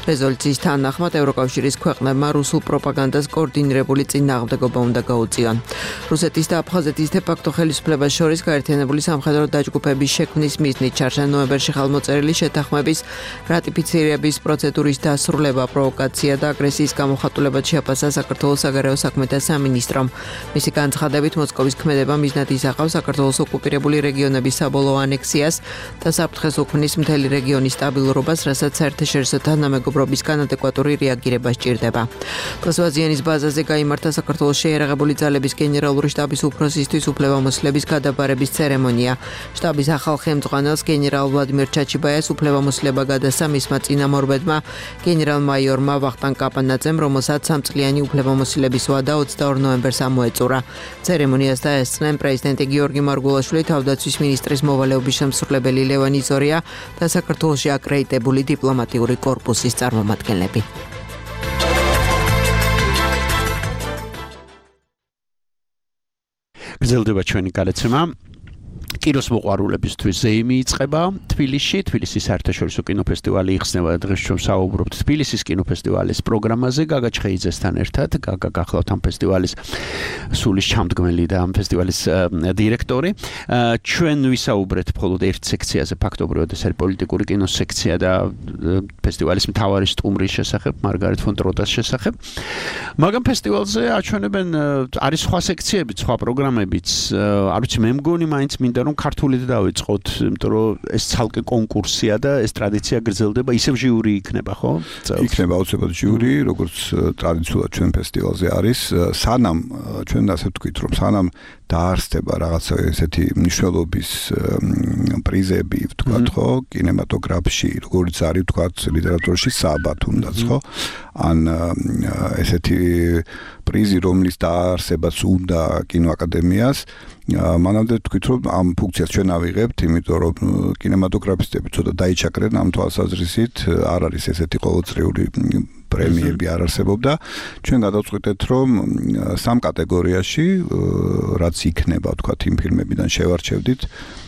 რეზოლუციის თანახმად ევროკავშირის ქვეყნებმა რუსულ პროპაგანდას კოორდინირებული წინააღმდეგობა უნდა გაუწიონ. რუსეთის და აფხაზეთის დე-ფაქტო ხელისუფლებას შორის გაერთიანებული სამხედრო დაჯგუფების შექმნის მიზნით ჩარჩა ნოემბერში ხალხმოწერილი შეთანხმების რატიფიცირების პროცედურის დასრულება, პროვოკაცია და აგრესიის გამოხატულებად შეაფასა საქართველოს საგარეო საქმეთა სამინისტრომ. მისი განცხადებით, მოსკოვის ქმედება მიზნად ისახავს საქართველოს ოკუპირებული რეგიონების საბოლოო ანექსიას და საფრთხეს უქმნის მთელი რეგიონის სტაბილურობას, რასაც საერთაშორისო თანამეგობრობისგან ადეკვატური რეაგირება სჭირდება. კლასვაზიანის ბაზაზე გაიმართა საქართველოს შეიარაღებული ძალების გენერალური შტაბის უფროსისთვის უფლებამოსილების გადაბარების ცერემონია. შტაბის ახალ ხელმძღვანელს გენერალ ვლადიმერ ჩაჩიბაიას უფლებამოსილება გადასცა მისმა წინამორბედმა გენერალ-მაიორმა ვახტანგ კაპანაძემ, რომელსაც სამწლიანი უფლებამოსილების ვადა ოცდაორ ნოემბერს ამოეწურა. ცერემონიას დაესწრნენ პრეზიდენტი გიორგი მარგულაშვილი, თავდაცვის მინისტრის მოვალეობის შემსრულებელი ლევან იზორია და საქართველოში აკრედიტებული დიპლომატიური კორპუსის წარმომადგენლები. გრძელდება ჩვენი გადაცემა. კინოს მოყვარულებისთვის ზეიმი იწყება თბილისში. თბილისის საერთაშორისო კინოფესტივალი იხსნება და დღეს ჩვენ საუბრობთ თბილისის კინოფესტივალის პროგრამაზე გაგა ჩხეიძესთან ერთად. გაგა გახლავთ ამ ფესტივალის სულის ჩამდგმელი და ამ ფესტივალის დირექტორი. ჩვენ ვისაუბრეთ მხოლოდ ერთ სექციაზე, ფაქტობრივად ეს არის პოლიტიკური კინოს სექცია და ფესტივალის მთავარი სტუმრის შესახებ, მარგარეტ ფონ ტროტას შესახებ. მაგრამ ფესტივალზე აჩვენებენ არის სხვა სექციები, სხვა პროგრამებიც. არ ვიცი, მე მგონი მაინც მინდა რომ ქართულით დავიწყოთ, იმიტომ რომ ეს ცალკე კონკურსია და ეს ტრადიცია გრძელდება, ისევ ჟიური იქნება, ხო? იქნება აუცილებლად ჟიური, როგორც ტრადიციულად ჩვენ ფესტივალზე არის. სანამ ჩვენ ასე ვთქვით, რომ სანამ დაარსდება რაღაცა ესეთი მნიშვნელობის პრიზები, ვთქვათ, ხო, კინემატოგრაფში, როგორც არის ვთქვათ, ლიტერატურაში სააბა თუნდაც, ხო? ან ესეთი პრიზი, რომლის დაარსებაც უნდა კინოაკადემიას, მანამდე ვთქვით, რომ ამ ფუნქციას ჩვენ ავიღებთ, იმიტომ რომ კინემატოგრაფისტები ცოტა დაიჩაქრენ ამ თვალსაზრისით, არ არის ესეთი ყოველწლიური პრემიები არ არსებობდა. ჩვენ გადავწყვიტეთ, რომ სამ კატეგორიაში, რაც იქნება, ვთქვათ, იმ ფილმებიდან შევარჩევდით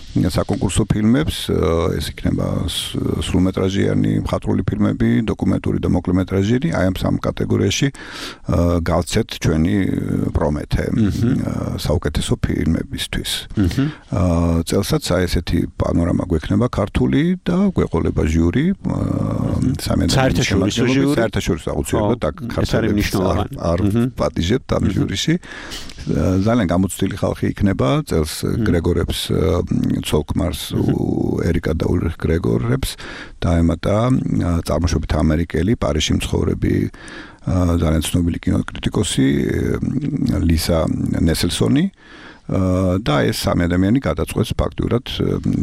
საკონკურსო ფილმებს, ეს იქნება სრულმეტრაჟიანი მხატვრული ფილმები, დოკუმენტური და მოკლემეტრაჟიანი, აი ამ სამ კატეგორიაში გავცეთ ჩვენი პრომეთე საუკეთესო ფილმებისთვის. წელსაც აი ესეთი პანორამა გვექნება ქართული და გვეყოლება ჟიური, საერთაშორისო ჟიური, საერთაშორისო აუცილებლად და ქართული არ პატიჟებთ ამ ჟურიში. ძალიან გამოცდილი ხალხი იქნება, წელს გრეგორებს ცოლკმარს ერიკა და ულრიხ გრეგორებს დაემატა წარმოშობით ამერიკელი პარიზში მცხოვრები ძალიან ცნობილი კინოკრიტიკოსი ლისა ნესელსონი და ეს სამი ადამიანი გადაწყვეტს ფაქტურად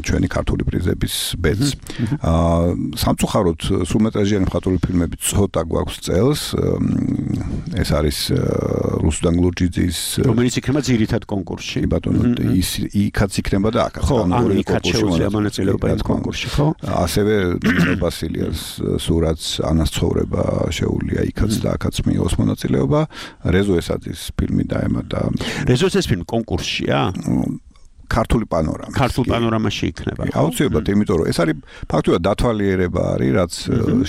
ჩვენი ქართული პრიზების ბედს. სამწუხაროდ სრულმეტრაჟიანი მხატვრული ფილმები ცოტა გვაქვს წელს. ეს არის რუსუდან გლურჯიძის რომელიც იქნება ძირითად კონკურსში. კი ბატონო, ის იქაც იქნება და აქაც ორი კონკურსში მონაწილეობა იმ კონკურსში, ხო? ასევე ნინო ბასილიას სურათს ანას ცხოვრება შეუულია იქაც და აქაც მიიღოს მონაწილეობა. რეზო ესაძის ფილმი დაემატა. რეზო ეს ფილმი კონკურსშია? ქართული პანორამა. ქართულ პანორამაში იქნება. აუცილებლად, იმიტომ რომ ეს არის ფაქტობრივად დათვალიერება არის, რაც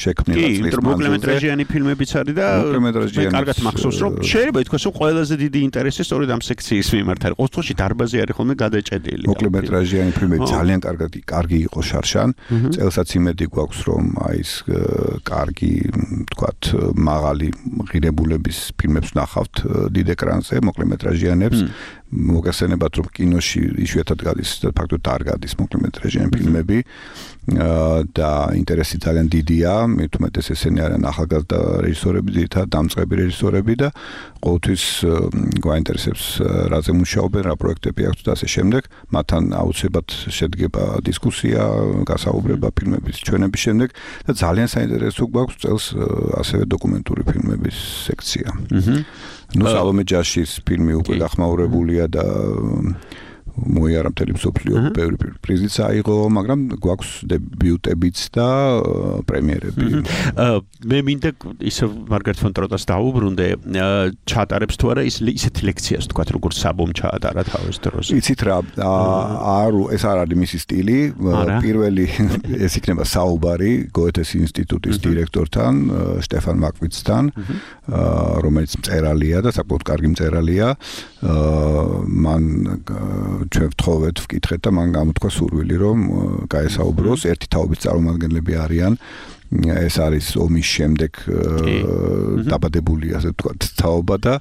შექმნილი წლის მანძილზე. კი, მოკლემეტრაჟიანი ფილმებიც არის და მოკლემეტრაჟიანი კარგად მახსოვს, რომ შეიძლება ითქვას, რომ ყველაზე დიდი ინტერესი სწორედ ამ სექციის მიმართ არის. ყოველ შემთხვევაში დარბაზი არის ხოლმე გადაჭედილი. მოკლემეტრაჟიანი ფილმები ძალიან კარგად კარგი იყო შარშან. წელსაც იმედი გვაქვს, რომ აი ეს კარგი, თქვათ, მაღალი ღირებულების ფილმებს ნახავთ დიდ ეკრანზე, მოკლემეტრაჟიანებს. მოგესწრებათ, რომ კინოში იშვიათად გადის და ფაქტობრივად არ გადის მოკლემეტრაჟიანი ფილმები და ინტერესი ძალიან დიდია, მით უმეტეს ესენი არიან ახალგაზრდა რეჟისორები, ძირითადად დამწყები რეჟისორები და ყოველთვის გვაინტერესებს რაზე მუშაობენ, რა პროექტები აქვთ და ასე შემდეგ. მათთან აუცილებლად შედგება დისკუსია, გასაუბრება ფილმების ჩვენების შემდეგ და ძალიან საინტერესო გვაქვს წელს ასევე დოკუმენტური ფილმების სექცია. ნუ სალომე ჯაშის ფილმი უკვე გახმაურებულია და მოიარა მთელი მსოფლიო ბევრი პრიზიც აიღო, მაგრამ გვაქვს დებიუტებიც და პრემიერები. მე მინდა ისე მარგარეთ ფონ ტროტას დაუბრუნდე, ჩაატარებს თუ არა ის ისეთი ლექციას თქვათ, როგორც საბომ ჩაატარა თავის დროს. იცით რა, არ ეს არ არის მისი სტილი. პირველი ეს იქნება საუბარი გოეთეს ინსტიტუტის დირექტორთან, შტეფან მაკვიცთან, რომელიც მწერალია და საკმაოდ კარგი მწერალია. მან ჩვენ ვთხოვეთ, ვკითხეთ და მან გამოთქვა სურვილი, რომ გაესაუბროს. ერთი თაობის წარმომადგენლები არიან. ეს არის ომის შემდეგ დაბადებული, ასე ვთქვათ, თაობა და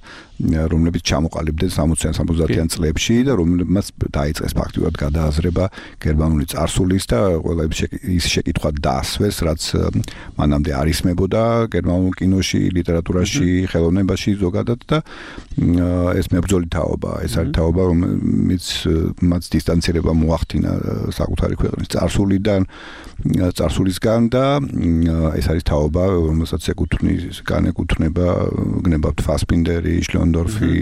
რომლებიც ჩამოყალიბდნენ სამოციან სამოცდაათიან წლებში და რომლებმაც დაიწყეს ფაქტიურად გადააზრება გერმანული წარსულის და ყველა ის შეკითხვა დაასვეს, რაც მანამდე არ ისმებოდა გერმანულ კინოში, ლიტერატურაში, ხელოვნებაში ზოგადად და ეს მებრძოლი თაობა, ეს არის თაობა, რომელიც მათ დისტანცირება მოახდინა საკუთარი ქვეყნის წარსულიდან, წარსულისგან და ეს არის თაობა, რომელსაც ეკუთვნის, განეკუთვნება გნებავთ ფასპინდერი, შლონდორფი,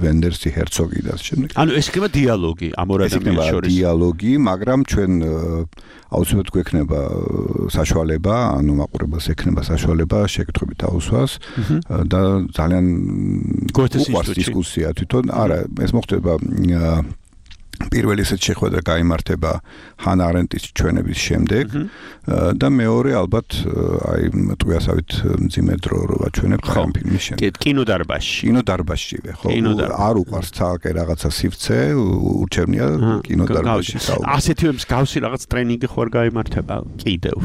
ვენდერსი, ჰერცოგი და ასე შემდეგ. ანუ ეს იქნება დიალოგი ამ ორ ადამიანის შორის. დიალოგი, მაგრამ ჩვენ აუცილებლად გვექნება საშუალება, ანუ მაყურებელს ექნება საშუალება შეკითხვებით დაუსვას და ძალიან უყვარს დისკუსია თვითონ. არა, ეს მოხდება პირველი ესეთ შეხვედრა გაიმართება ჰანა არენტის ჩვენების შემდეგ და მეორე ალბათ აი ტყვიასავით მძიმე დრო რო ვაჩვენებთ ამ ფილმის შემდეგ. კი, კინოდარბაზში. კინოდარბაზშივე, ხო? არ უყვარს თალკე რაღაცა სივრცე, ურჩევნია კინოდარბაზში საუბარი. ასეთივე მსგავსი რაღაც ტრენინგი ხوار გაიმართება კიდევ.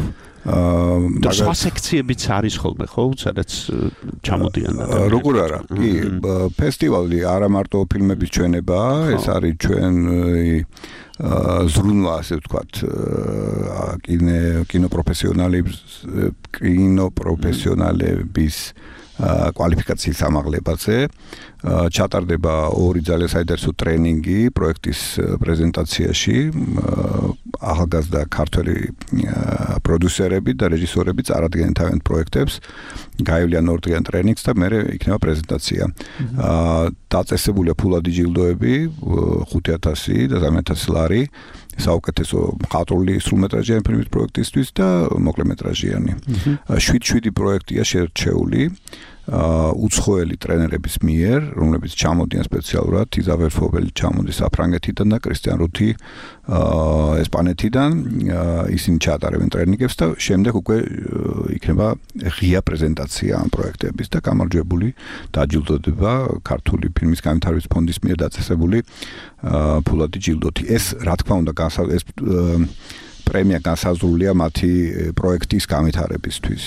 და სხვა სექციებიც არის ხოლმე, ხო? სადაც ჩამოდიან და როგორ არა? კი, ფესტივალი არა მარტო ფილმების ჩვენება, ეს არის ჩვენ ზრუნვა, ასე ვთქვათ, კინო კინოპროფესიონალების კინოპროფესიონალების კვალიფიკაციის ამაღლებაზე. ჩატარდება ორი ძალიან საინტერესო ტრენინგი პროექტის პრეზენტაციაში. ახალგაზრდა ქართველი პროდიუსერები და რეჟისორები წარადგენენ თავიანთ პროექტებს, გაივლიან ორ დღიან ტრენინგს და მერე იქნება პრეზენტაცია. დაწესებულია ფულადი ჯილდოები, ხუთი ათასი და სამი ათასი ლარი. საუკეთესო მხატვრული სრულმეტრაჟიანი ფილმის პროექტისთვის და მოკლემეტრაჟიანი. შვიდ შვიდი პროექტია შერჩეული. უცხოელი ტრენერების მიერ, რომლებიც ჩამოდიან სპეციალურად, იზაბელ ფობელი ჩამოდის საფრანგეთიდან და კრისტიან რუთი ესპანეთიდან, ისინი ჩაატარებენ ტრენინგებს და შემდეგ უკვე იქნება ღია პრეზენტაცია ამ პროექტების და გამარჯვებული დაჯილდოდება ქართული ფილმის განვითარების ფონდის მიერ დაწესებული ფულადი ჯილდოთი. ეს რა თქმა უნდა ეს პრემია განსაზღვრულია მათი პროექტის განვითარებისთვის,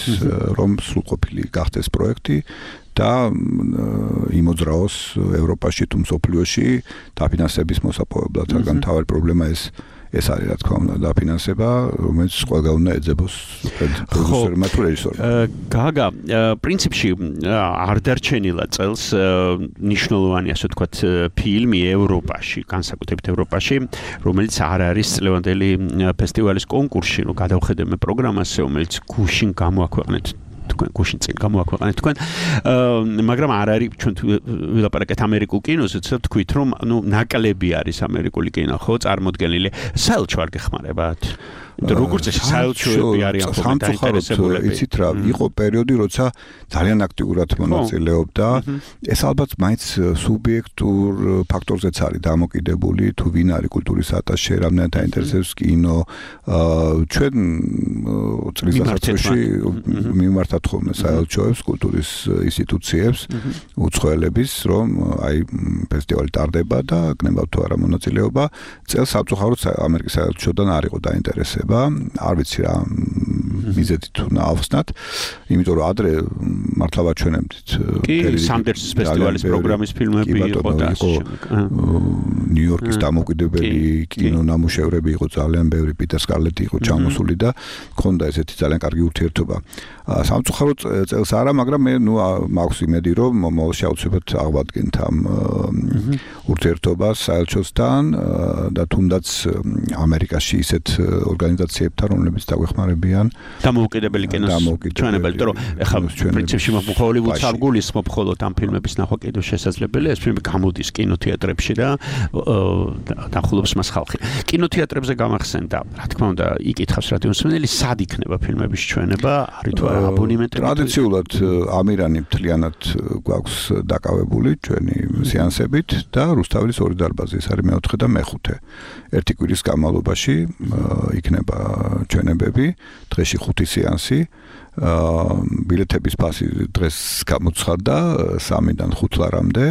რომ სრულყოფილი გახდეს პროექტი და იმოძრაოს ევროპაში თუ მსოფლიოში დაფინანსების მოსაპოვებლად. რადგან თავი პრობლემა ეს ეს არის რა თქმა უნდა დაფინანსება, რომელიც ყველგან უნდა ეძებოს პროდიუსერმა თუ რეჟისორმა. გაგა, პრინციპში არ დარჩენილა წელს ნიშნულოვანი ასე ვთქვათ ფილმი ევროპაში, განსაკუთრებით ევროპაში, რომელიც არ არის წლევანდელი ფესტივალის კონკურსში, რომ გადავხედე მე პროგრამას, რომელიც გუშინ გამოაქვეყნეთ თქვენ გუშინ წინ გამოაქვეყნეთ თქვენ მაგრამ არ არის ჩვენ ვილაპარაკეთ ამერიკულ კინოზე, ცოტა თქვით რომ ნუ ნაკლები არის ამერიკული კინო, ხო, წარმოდგენილი. საელჩო არ გეხმარებათ? როგორც ეს საელჩოები არიან ხოლმე დაინტერესებულები. იცით რა, იყო პერიოდი, როცა ძალიან აქტიურად მონაწილეობდა. ეს ალბათ მაინც სუბიექტურ ფაქტორზეც არის დამოკიდებული, თუ ვინ არის კულტურის ატაშე, რამდენად აინტერესებს კინო. ჩვენ წლის დასაწყისში მიმართავთ ხოლმე საელჩოებს, კულტურის ინსტიტუციებს, უცხოელების, რომ აი ფესტივალი ტარდება და გნებავთ თუ არა მონაწილეობა. წელს სამწუხაროდ ამერიკის საელჩოდან არ იყო დაინტერესება. არ ვიცი რა მიზეზით უნდა ავხსნათ, იმიტომ რომ ადრე მართლა ვაჩვენებდით სანდერსის ფესტივალის პროგრამის ფილმები იყო და ნიუ-იორკის დამოუკიდებელი კინონამუშევრები იყო ძალიან ბევრი, პიტერ სკარლეტი იყო ჩამოსული და ქონდა ესეთი ძალიან კარგი ურთიერთობა. სამწუხაროდ წელს არა, მაგრამ მე ნუ მაქვს იმედი, რომ მომავალში აუცილებლად აღვადგენთ ამ ურთიერთობას საელჩოსთან და თუნდაც ამერიკაში ისეთ ორგანიზაციებთან, რომლებიც დაგვეხმარებიან დამოუკიდებელი კინოს ჩვენებელი, რომ ეხლა პრინციპში ჰოლივუდს არ გულისხმობ მხოლოდ ამ ფილმების ნახვა კიდევ შესაძლებელია, ეს ფილმი გამოდის კინოთეატრებში და დახულობს მას ხალხი. კინოთეატრებზე გამახსენდა, რა თქმა უნდა, იკითხავს რადიოსმენელი, სად იქნება ფილმების ჩვენება, არის თუ არა აბონემენტები? ტრადიციულად ამირანი მთლიანად გვაქვს დაკავებული ჩვენი სეანსებით და რუსთაველის ორი დარბაზი, ეს არის მეოთხე და მეხუთე. ერთი კვირის განმავლობაში იქნება ჩვენებები, დღეში ხუთი სეანსი. ბილეთების ფასი დღეს გამოცხადდა სამიდან ხუთ ლარამდე,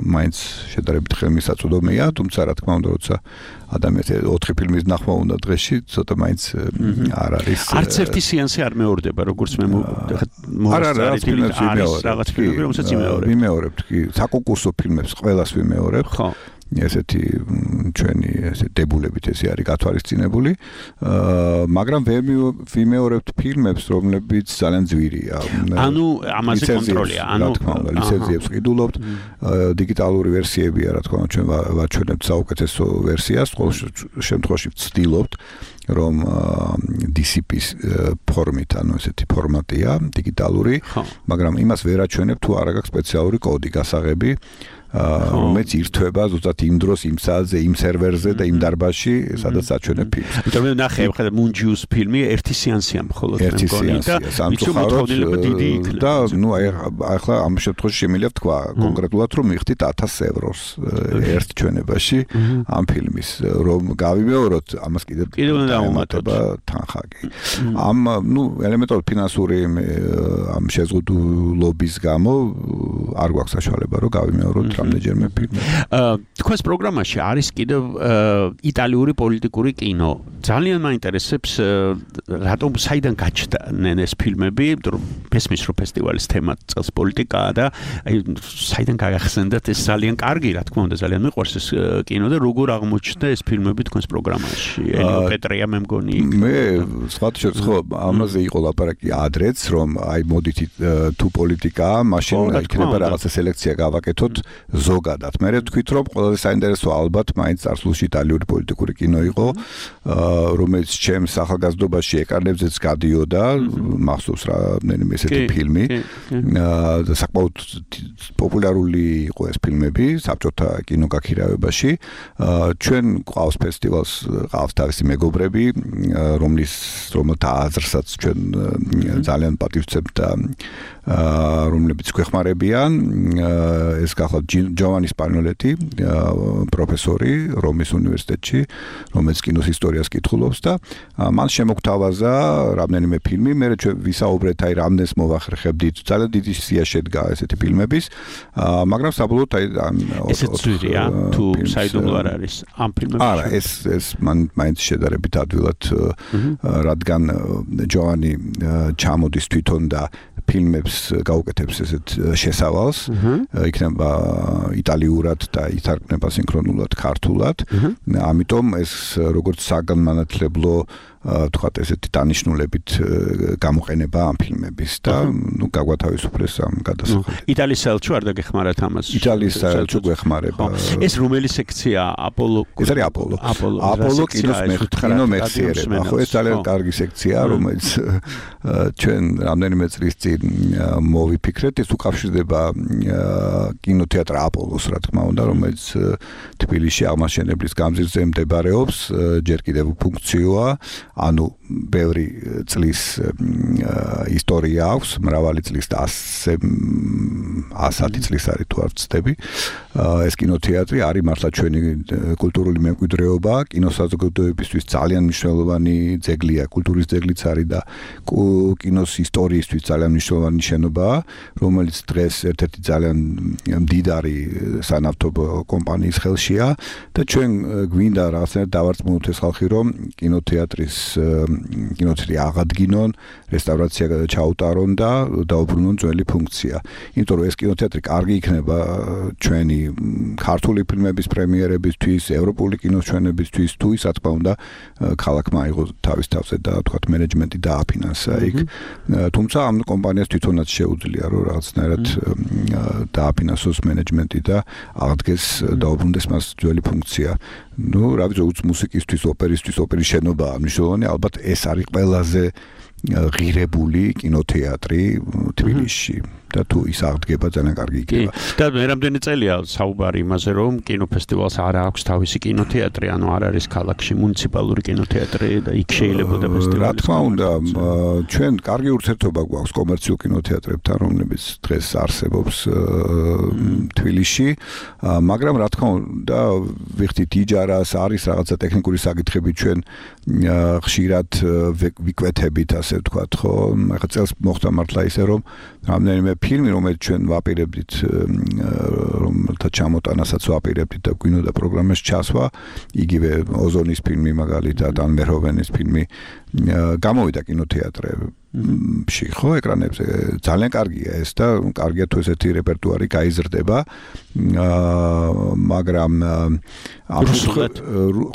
მაინც შედარებით ხელმისაწვდომია, თუმცა რა თქმა უნდა, როცა ადამიანს ოთხი ფილმის ნახვა უნდა დღეში, ცოტა მაინც არ არის. არც ერთი სეანსი არ მეორდება, როგორც მე მოვსწრებით, არის რაღაც ფილმები, რომელსაც იმეორებ. ვიმეორებთ კი, საკონკურსო ფილმებს ყველას ვიმეორებთ. ხო. ესეთი ჩვენი ესე დებულებით ესე არის გათვალისწინებული, მაგრამ ვერ ვიმეორებთ ფილმებს, რომლებიც ძალიან ძვირია. ანუ ამაზე კონტროლია, ანუ ლიცენზიებს ყიდულობთ, დიგიტალური ვერსიებია, რა თქმა უნდა, ჩვენ ვაჩვენებთ საუკეთესო ვერსიას, ყოველ შემთხვევაში ვცდილობთ, რომ დი სი პის ფორმით, ანუ ესეთი ფორმატია, დიგიტალური, მაგრამ იმას ვერ აჩვენებთ, თუ არ აქვს სპეციალური კოდი გასაღები. რომელიც ირთვება ზუსტად იმ დროს, იმ საათზე, იმ სერვერზე და იმ დარბაზში, სადაც აჩვენებ ფილმს. იმიტომ მე ნახე, ხა მუნჯიუს ფილმი ერთი სეანსია მხოლოდ მე მგონი და სამწუხაროდ და ნუ აი ახლა ამ შემთხვევაში შემიძლია თქვა კონკრეტულად, რომ მიხდით ათას ევროს ერთ ჩვენებაში ამ ფილმის, რომ გავიმეოროთ, ამას კიდევ კიდევ უნდა დავუმატოთ თანხა კი. ამ ნუ ელემენტარული ფინანსური ამ შეზღუდულობის გამო არ გვაქვს საშუალება, რომ გავიმეოროთ რამდენჯერმე ფილმი. თქვენს პროგრამაში არის კიდევ იტალიური პოლიტიკური კინო. ძალიან მაინტერესებს რატომ საიდან გაჩნდნენ ეს ფილმები, რომ მესმის რომ ფესტივალის თემა წელს პოლიტიკაა და აი საიდან გაგახსენდათ ეს ძალიან კარგი, რა თქმა უნდა, ძალიან მიყვარს ეს კინო და როგორ აღმოჩნდა ეს ფილმები თქვენს პროგრამაში? ენიო პეტრია მე მგონი. მე სხვათაშორის ხო ამაზე იყო ლაპარაკი ადრეც, რომ აი მოდით თუ პოლიტიკაა, მაშინ იქნება რაღაცა სელექცია გავაკეთოთ ზოგადად. მე ვთქვით, რომ ყველაზე საინტერესო ალბათ მაინც წარსულში იტალიური პოლიტიკური კინო იყო, რომელიც ჩემს ახალგაზრდობაში ეკრანებზეც გადიოდა, მახსოვს რამდენიმე ესეთი ფილმი. და საკმაოდ პოპულარული იყო ეს ფილმები საბჭოთა კინოგაქირავებაში. ჩვენ ყავს ფესტივალს, ყავს თავისი მეგობრები, რომლის რომელთა აზრსაც ჩვენ ძალიან პატივცემთ და რომლებიც გვეხმარებიან. ეს გახლავთ ჯოვანი სპანიოლეტი, პროფესორი რომის უნივერსიტეტში, რომელიც კინოს ისტორიას კითხულობს და მან შემოგთავაზა რამდენიმე ფილმი, მე ჩვენ ვისაუბრეთ აი რამდენს მოვახერხებდით, ძალიან დიდი სია შედგა ესეთი ფილმების, მაგრამ საბოლოოდ აი ესეც ძვირია თუ საიდუმლო არ არის ამ ფილმებში. არა, ეს ეს მან მაინც შედარებით ადვილად, რადგან ჯოვანი ჩამოდის თვითონ და ფილმებს გაუკეთებს ესეთ შესავალს. იქნება იტალიურად და ითარგმნება სინქრონულად ქართულად. ამიტომ ეს როგორც საგანმანათლებლო თქვათ ესეთი დანიშნულებით გამოყენება ამ ფილმების და ნუ გაგვათავისუფლეს ამ გადასახადად. იტალიის საელჩო არ დაგეხმარათ ამას? იტალიის საელჩო გვეხმარება. ეს რომელი სექცია? აპოლო. ეს არის აპოლო. აპოლო კინოს კინო მეხსიერება. ხო, ეს ძალიან კარგი სექციაა, რომელიც ჩვენ რამდენიმე წლის წინ მოვიფიქრეთ, ეს უკავშირდება კინოთეატრ აპოლოს, რა თქმა უნდა, რომელიც თბილისში აღმაშენებლის გამზირზე მდებარეობს, ჯერ კიდევ ფუნქციოა. ანუ ბევრი წლის ისტორია აქვს, მრავალი წლის და ასი წლის არის თუ არ ვცდები. ეს კინოთეატრი არის მართლა ჩვენი კულტურული მემკვიდრეობა, კინოსაზოგადოებისთვის ძალიან მნიშვნელოვანი ძეგლია, კულტურის ძეგლიც არის და კინოს ისტორიისთვის ძალიან მნიშვნელოვანი შენობაა, რომელიც დღეს ერთ-ერთი ძალიან მდიდარი სანავთობო კომპანიის ხელშია და ჩვენ გვინდა რაღაცნაირად დავარწმუნოთ ეს ხალხი, რომ კინოთეატრის კინოთეატრი აღადგინონ, რესტავრაცია ჩაუტარონ და დაუბრუნონ ძველი ფუნქცია. იმიტომ რომ ეს კინოთეატრი კარგი იქნება ჩვენი ქართული ფილმების პრემიერებისთვის, ევროპული კინოს ჩვენებისთვის, თუ ის რა თქმა უნდა ქალაქმა აიღო თავის თავზე და თქვათ მენეჯმენტი დააფინანსა იქ. თუმცა ამ კომპანიას თვითონაც შეუძლია რომ რაღაცნაირად დააფინანსოს მენეჯმენტი და აღდგეს დაუბრუნდეს მას ძველი ფუნქცია. ნუ რა ვიცი, უც მუსიკისთვის, ოპერისთვის, ოპერის შენობაა მნიშვნელოვანი, ალბათ ეს არის ყველაზე ღირებული კინოთეატრი თბილისში და თუ ის აღდგება ძალიან კარგი იქნება. და მე რამდენი წელია საუბარი იმაზე, რომ კინოფესტივალს არ აქვს თავისი კინოთეატრი, ანუ არ არის ქალაქში მუნიციპალური კინოთეატრი და იქ შეიძლებოდა ფესტივალი. რა თქმა უნდა, ჩვენ კარგი ურთიერთობა გვაქვს კომერციულ კინოთეატრებთან, რომლებიც დღეს არსებობს თბილისში, მაგრამ რა თქმა უნდა, ვიხდით იჯარას, არის რაღაცა ტექნიკური საკითხები, ჩვენ ხშირად ვიკვეთებით, ასე ვთქვათ, ხო? ახლა წელს მოხდა მართლა ისე, რომ რამდენიმე ფილმი, რომელიც ჩვენ ვაპირებდით, რომელთა ჩამოტანასაც ვაპირებდით და გვინდოდა პროგრამაში ჩასვა, იგივე ოზონის ფილმი მაგალითად, ან მერჰოვენის ფილმი გამოვიდა კინოთეატრებში, ხო, ეკრანებზე. ძალიან კარგია ეს და კარგია თუ ესეთი რეპერტუარი გაიზრდება, მაგრამ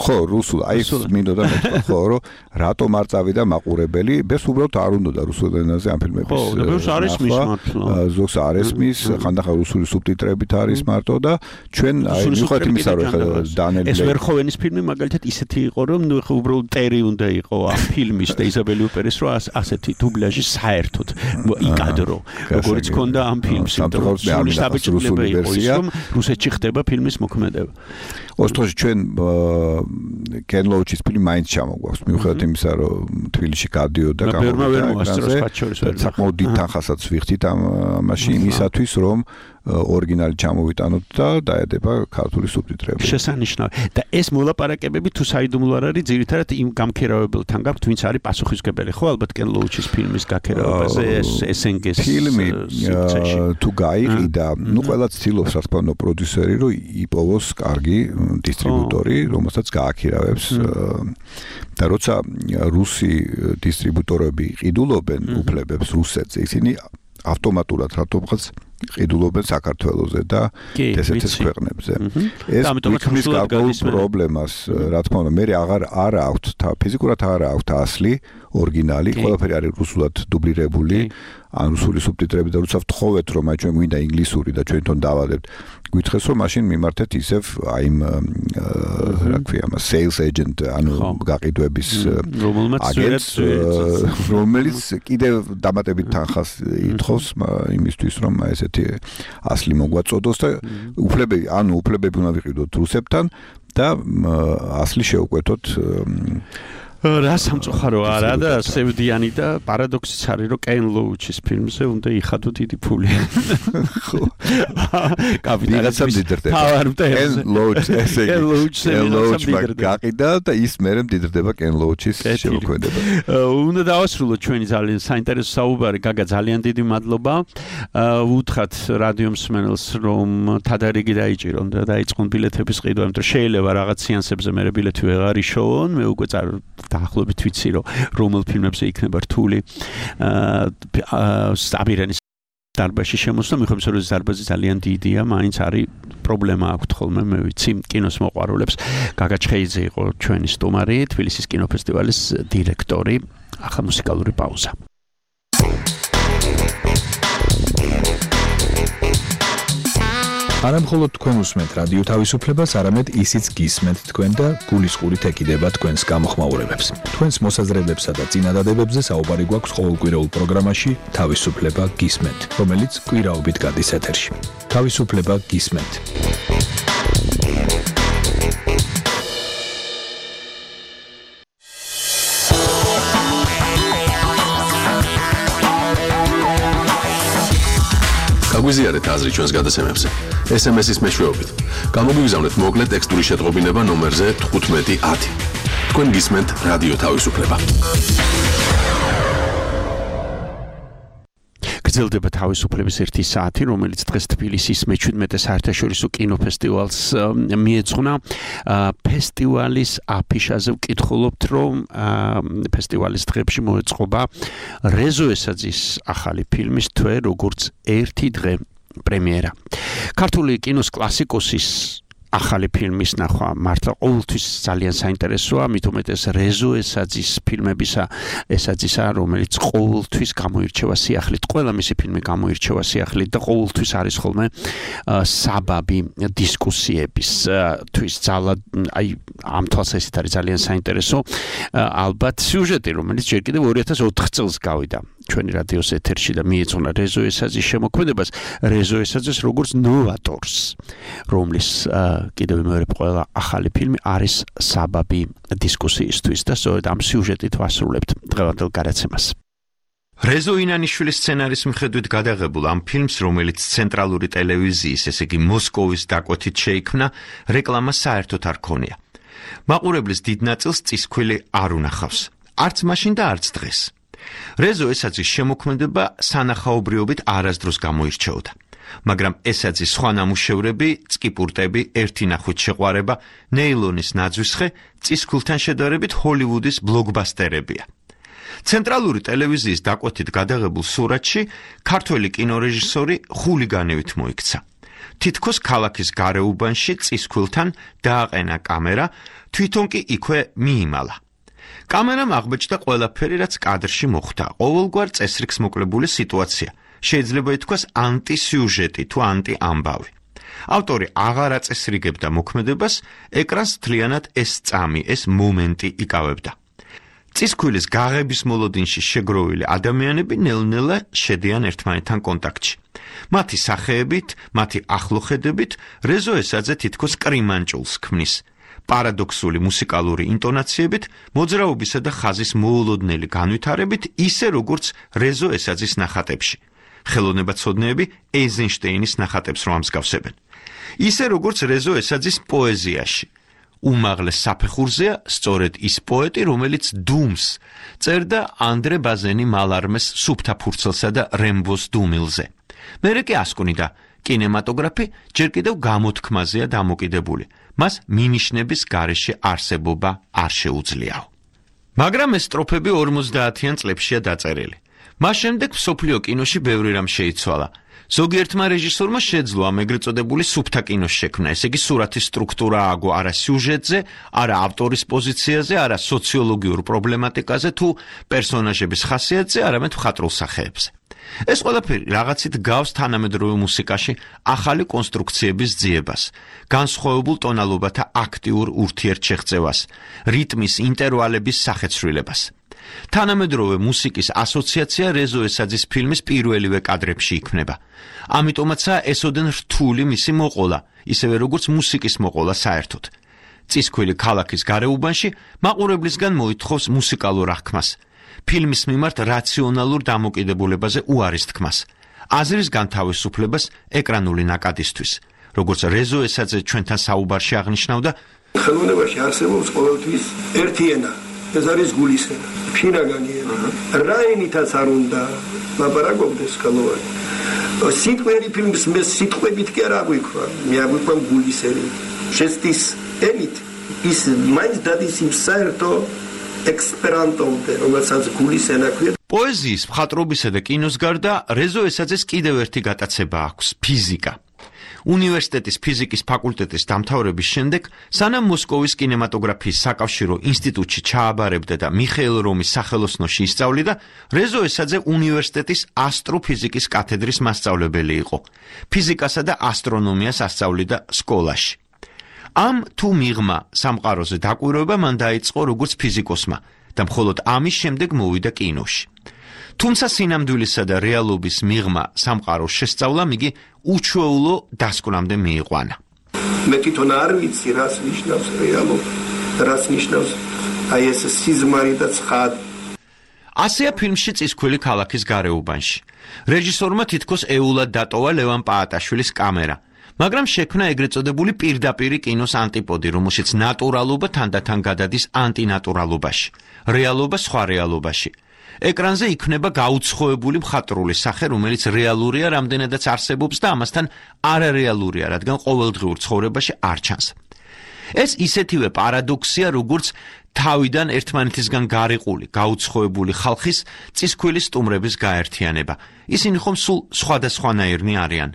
ხო, რუსულ, აი ეს მინდოდა მეთქვა, ხო, რომ რატომ არ წავიდა მაყურებელი, ბეს უბრალოდ არ უნდოდა რუსულ ენაზე ამ ფილმების. ხო, და ბევრს არ ესმის მართლა. ზოგს არ ესმის, ხანდახან რუსული სუბტიტრებით არის მარტო და ჩვენ აი მიხვდით იმისა, რომ ეხლა დანიელი ეს ვერჰოვენის ფილმი მაგალითად ისეთი იყო, რომ ნუ ეხლა უბრალოდ ტერი უნდა იყო ამ ფილმის და იზაბელი უპერის რო ასეთი დუბლაჟი საერთოდ იკადრო, როგორც ქონდა ამ ფილმს, იმიტომ რომ სრული საბჭოება იყო ის, რომ რუსეთში ხდება ფილმის მოქმედება. ოსტროში ჩვენ კენ ლოუჩის ფილმი მაინც ჩამოგვაქვს, მიუხედავად იმისა, რომ თბილისში გადიოდა და გამოვიდა, საკმაოდ დიდ თანხასაც ვიხდით ამაში იმისათვის, რომ ორიგინალი ჩამოვიტანოთ და დაედება ქართული სუბტიტრები. შესანიშნავი. და ეს მოლაპარაკებები თუ საიდუმლო არ არის, ძირითადად იმ გამქერავებელთან გაქვთ, ვინც არის პასუხისმგებელი, ხო, ალბათ კენ ლოუჩის ფილმის გაქერავებაზე ეს ეს ენ გი-ს ფილმი თუ გაიყიდა, ნუ ყველა ცდილობს რა თქმა უნდა პროდიუსერი, რომ იპოვოს კარგი დისტრიბუტორი, რომელსაც გააქირავებს და როცა რუსი დისტრიბუტორები ყიდულობენ უფლებებს რუსეთზე, ისინი ავტომატურად რატომღაც ყიდულობენ საქართველოზე და ესეთ ქვეყნებზე. ეს მის გარკვეულ პრობლემას, რა თქმა უნდა, მე აღარ არ აქვთ, ფიზიკურად არ აქვთ ასლი, ორიგინალი, ყველაფერი არის რუსულად დუბლირებული, ან რუსული სუბტიტრები და როცა ვთხოვეთ, რომ აი ჩვენ გვინდა ინგლისური და ჩვენ თვითონ დავადებთ, გითხრეს რომ მაშინ მიმართეთ ისევ აი იმ რა ქვია, მას sales agent, ანუ გაყიდვების აგენტს, რომელიც კიდევ დამატებით თანხას ითხოვს იმისთვის, რომ ესეთი ასლი მოგვაწოდოს და უფლებები, ანუ უფლებები უნდა ვიყიდოთ რუსებთან და ასლი შევკვეთოთ რა სამწუხარო არა და სევდიანი და პარადოქსიც არის რომ კენ ლოუჩის ფილმზე უნდა იხადო დიდი ფული. ხო. კაპიტალიზმი მდიდრდება. კენ ლოუჩ ესე იგი. კენ ლოუჩ გაყიდა და ის მერე მდიდრდება კენ ლოუჩის შემოქმედება. უნდა დავასრულოთ ჩვენი ძალიან საინტერესო საუბარი, გაგა, ძალიან დიდი მადლობა. უთხრათ რადიო მსმენელს რომ თადარიგი დაიჭირონ და დაიწყონ ბილეთების ყიდვა, იმიტომ რომ შეიძლება რაღაც სეანსებზე მერე ბილეთი ვეღარ იშოვონ, მე უკვე დაახლოებით ვიცი რომ რომელ ფილმებზე იქნება რთული საბირანის დარბაზში შემოსვლა, მიხედვით რომ დარბაზი ძალიან დიდია, მაინც არის პრობლემა აქვს ხოლმე, მე ვიცი, კინოს მოყვარულებს. გაგა ჩხეიძე იყო ჩვენი სტუმარი, თბილისის კინოფესტივალის დირექტორი. ახლა მუსიკალური პაუზა. არა მხოლოდ თქვენ უსმენთ რადიო თავისუფლებას, არამედ ისიც გისმენთ თქვენ და გულისყურით ეკიდება თქვენს გამოხმაურებებს. თქვენს მოსაზრებებსა და წინადადებებზე საუბარი გვაქვს ყოველკვირეულ პროგრამაში თავისუფლება გისმენთ, რომელიც კვირაობით გადის ეთერში. თავისუფლება გისმენთ. გაგვიზიარეთ აზრი ჩვენს გადაცემებზე. ეს ემ ეს-ის მეშვეობით. გამოგვიგზავნეთ მოკლე ტექსტური შეტყობინება ნომერზე თხუთმეტი ათი. თქვენ გისმენთ რადიო თავისუფლება. გრძელდება თავისუფლების ერთი საათი, რომელიც დღეს თბილისის მეჩვიდმეტე საერთაშორისო კინოფესტივალს მიეძღვნა. ფესტივალის აფიშაზე ვკითხულობთ, რომ ფესტივალის დღეებში მოეწყობა რეზო ესაძის ახალი ფილმის თვე, როგორც ერთი დღე პრემიერა. ქართული კინოს კლასიკოსის ახალი ფილმის ნახვა მართლა ყოველთვის ძალიან საინტერესოა, მით უმეტეს რეზო ესაძის ფილმებისა, ესაძისა, რომელიც ყოველთვის გამოირჩევა სიახლით. ყველა მისი ფილმი გამოირჩევა სიახლით და ყოველთვის არის ხოლმე საბაბი დისკუსიების თვის ძალა, აი ამ თვალსაზრისით არის ძალიან საინტერესო. ალბათ სიუჟეტი, რომელიც ჯერ კიდევ ორი ათას ოთხ წელს გავიდა ჩვენი რადიოს ეთერში და მიეძღვნა რეზო ესაძის შემოქმედებას, რეზო ესაძეს როგორც ნოვატორს, რომლის კიდევ მეორე ყველა ახალი ფილმი არის საბაბი დისკუსიისთვის და სწორედ ამ სიუჟეტით ვასრულებთ დღევანდელ გადაცემას. რეზო ინანიშვილის სცენარის მიხედვით გადაღებულ ამ ფილმს, რომელიც ცენტრალური ტელევიზიის, ესე იგი მოსკოვის დაკვეთით შეიქმნა, რეკლამა საერთოდ არ ქონია. მაყურებლის დიდ ნაწილს წისქვილი არ უნახავს, არც მაშინ და არც დღეს. რეზო ესაძის შემოქმედება სანახაობრიობით არასდროს გამოირჩეოდა. მაგრამ ესაძის სხვა ნამუშევრები, წკიპურტები, ერთი ნახვით შეყვარება, ნეილონის ნაძვისხე, წისქვილთან შედარებით ჰოლივუდის ბლოკბასტერებია. ცენტრალური ტელევიზიის დაკვეთით გადაღებულ სურათში ქართველი კინორეჟისორი ხულიგანივით მოიქცა. თითქოს ქალაქის გარეუბანში წისქვილთან დააყენა კამერა, თვითონ კი იქვე მიიმალა. კამერამ აღბეჭდა ყველაფერი, რაც კადრში მოხდა, ყოველგვარ წესრიგს მოკლებული სიტუაცია. შეიძლება ითქვას ანტისიუჟეტი თუ ანტიამბავი. ავტორი აღარ აწესრიგებდა მოქმედებას, ეკრანს მთლიანად ეს წამი, ეს მომენტი იკავებდა. წისქვილის გაღების მოლოდინში შეგროვილი ადამიანები ნელ-ნელა შედიან ერთმანეთთან კონტაქტში. მათი სახეებით, მათი ახლოხედებით რეზო ესაძე თითქოს კრიმანჭულს ქმნის. პარადოქსული მუსიკალური ინტონაციებით, მოძრაობისა და ხაზის მოულოდნელი განვითარებით, ისე როგორც რეზო ესაძის ნახატებში. ხელოვნებაცოდნეები ეიზენშტეინის ნახატებს რომ ამსგავსებენ. ისე როგორც რეზო ესაძის პოეზიაში. უმაღლეს საფეხურზეა სწორედ ის პოეტი, რომელიც დუმს წერდა ანდრე ბაზენი მალარმეს სუფთა ფურცელსა და რემბოს დუმილზე. მერე კი ასკვნიდა, კინემატოგრაფი ჯერ კიდევ გამოთქმაზეა დამოკიდებული. მას მინიშნების გარეშე არსებობა არ შეუძლიაო. მაგრამ ეს სტროფები ორმოცდაათიან წლებშია დაწერილი. მას შემდეგ მსოფლიო კინოში ბევრი რამ შეიცვალა. ზოგიერთმა რეჟისორმა შეძლო ამ ეგრეთ წოდებული სუფთა კინოს შექმნა, ესე იგი სურათის სტრუქტურა ააგო არა სიუჟეტზე, არა ავტორის პოზიციაზე, არა სოციოლოგიურ პრობლემატიკაზე თუ პერსონაჟების ხასიათზე, არამედ მხატვრულ სახეებზე. ეს ყველაფერი რაღაცით გავს თანამედროვე მუსიკაში ახალი კონსტრუქციების ძიებას, განსხვავებულ ტონალობათა აქტიურ ურთიერთშეღწევას, რიტმის ინტერვალების სახეცვლილებას. თანამედროვე მუსიკის ასოციაცია რეზო ესაძის ფილმის პირველივე კადრებში იქმნება. ამიტომაცაა ესოდენ რთული მისი მოყოლა, ისევე როგორც მუსიკის მოყოლა საერთოდ. წისქვილი ქალაქის გარეუბანში მაყურებლისგან მოითხოვს მუსიკალურ აღქმას, ფილმის მიმართ რაციონალურ დამოკიდებულებაზე უარის თქმას, აზრის განთავისუფლებას ეკრანული ნაკადისთვის. როგორც რეზო ესაძე ჩვენთან საუბარში აღნიშნავდა, ხელოვნებაში არსებობს ყოველთვის ერთი ენა. ეს არის გულის ენა, ფინაგანი ენა. რა ენითაც არ უნდა ლაპარაკობდეს ხელოვანი. სიტყვიერი ფილმის მე სიტყვებით კი არ აღვიქვა, მე აღვიქვა გულის ენით. შეცდის ენით ის მაინც დადის იმ საერთო ექსპერანტომდე, რომელსაც გულის ენა ქვია. პოეზიის, მხატვრობისა და კინოს გარდა რეზო ესაძეს კიდევ ერთი გატაცება აქვს ფიზიკა. უნივერსიტეტის ფიზიკის ფაკულტეტის დამთავრების შემდეგ, სანამ მოსკოვის კინემატოგრაფიის საკავშირო ინსტიტუტში ჩააბარებდა და მიხეილ რომის სახელოსნოში ისწავლიდა, რეზო ესაძე უნივერსიტეტის ასტროფიზიკის კათედრის მასწავლებელი იყო. ფიზიკასა და ასტრონომიას ასწავლიდა სკოლაში. ამ თუ მიღმა სამყაროზე დაკვირვება მან დაიწყო როგორც ფიზიკოსმა და მხოლოდ ამის შემდეგ მოვიდა კინოში. თუმცა სინამდვილისა და რეალობის მიღმა სამყაროს შესწავლამ იგი უჩვეულო დასკვნამდე მიიყვანა. მე თვითონ არ ვიცი რას ნიშნავს რეალობა, რას ნიშნავს აი ეს სიზმარი და ცხადი. ასეა ფილმში წისქვილი ქალაქის გარეუბანში. რეჟისორმა თითქოს ეულად დატოვა ლევან პაატაშვილის კამერა, მაგრამ შექმნა ეგრეთ წოდებული პირდაპირი კინოს ანტიპოდი, რომელშიც ნატურალობა თანდათან გადადის ანტინატურალობაში, რეალობა სხვა რეალობაში. ეკრანზე იქნება გაუცხოებული მხატვრული სახე, რომელიც რეალურია რამდენადაც არსებობს და ამასთან არარეალურია, რადგან ყოველდღიურ ცხოვრებაში არ ჩანს. ეს ისეთივე პარადოქსია, როგორც თავიდან ერთმანეთისგან გარიყული, გაუცხოებული ხალხის წისქვილი სტუმრების გაერთიანება. ისინი ხომ სულ სხვადასხვანაირნი არიან,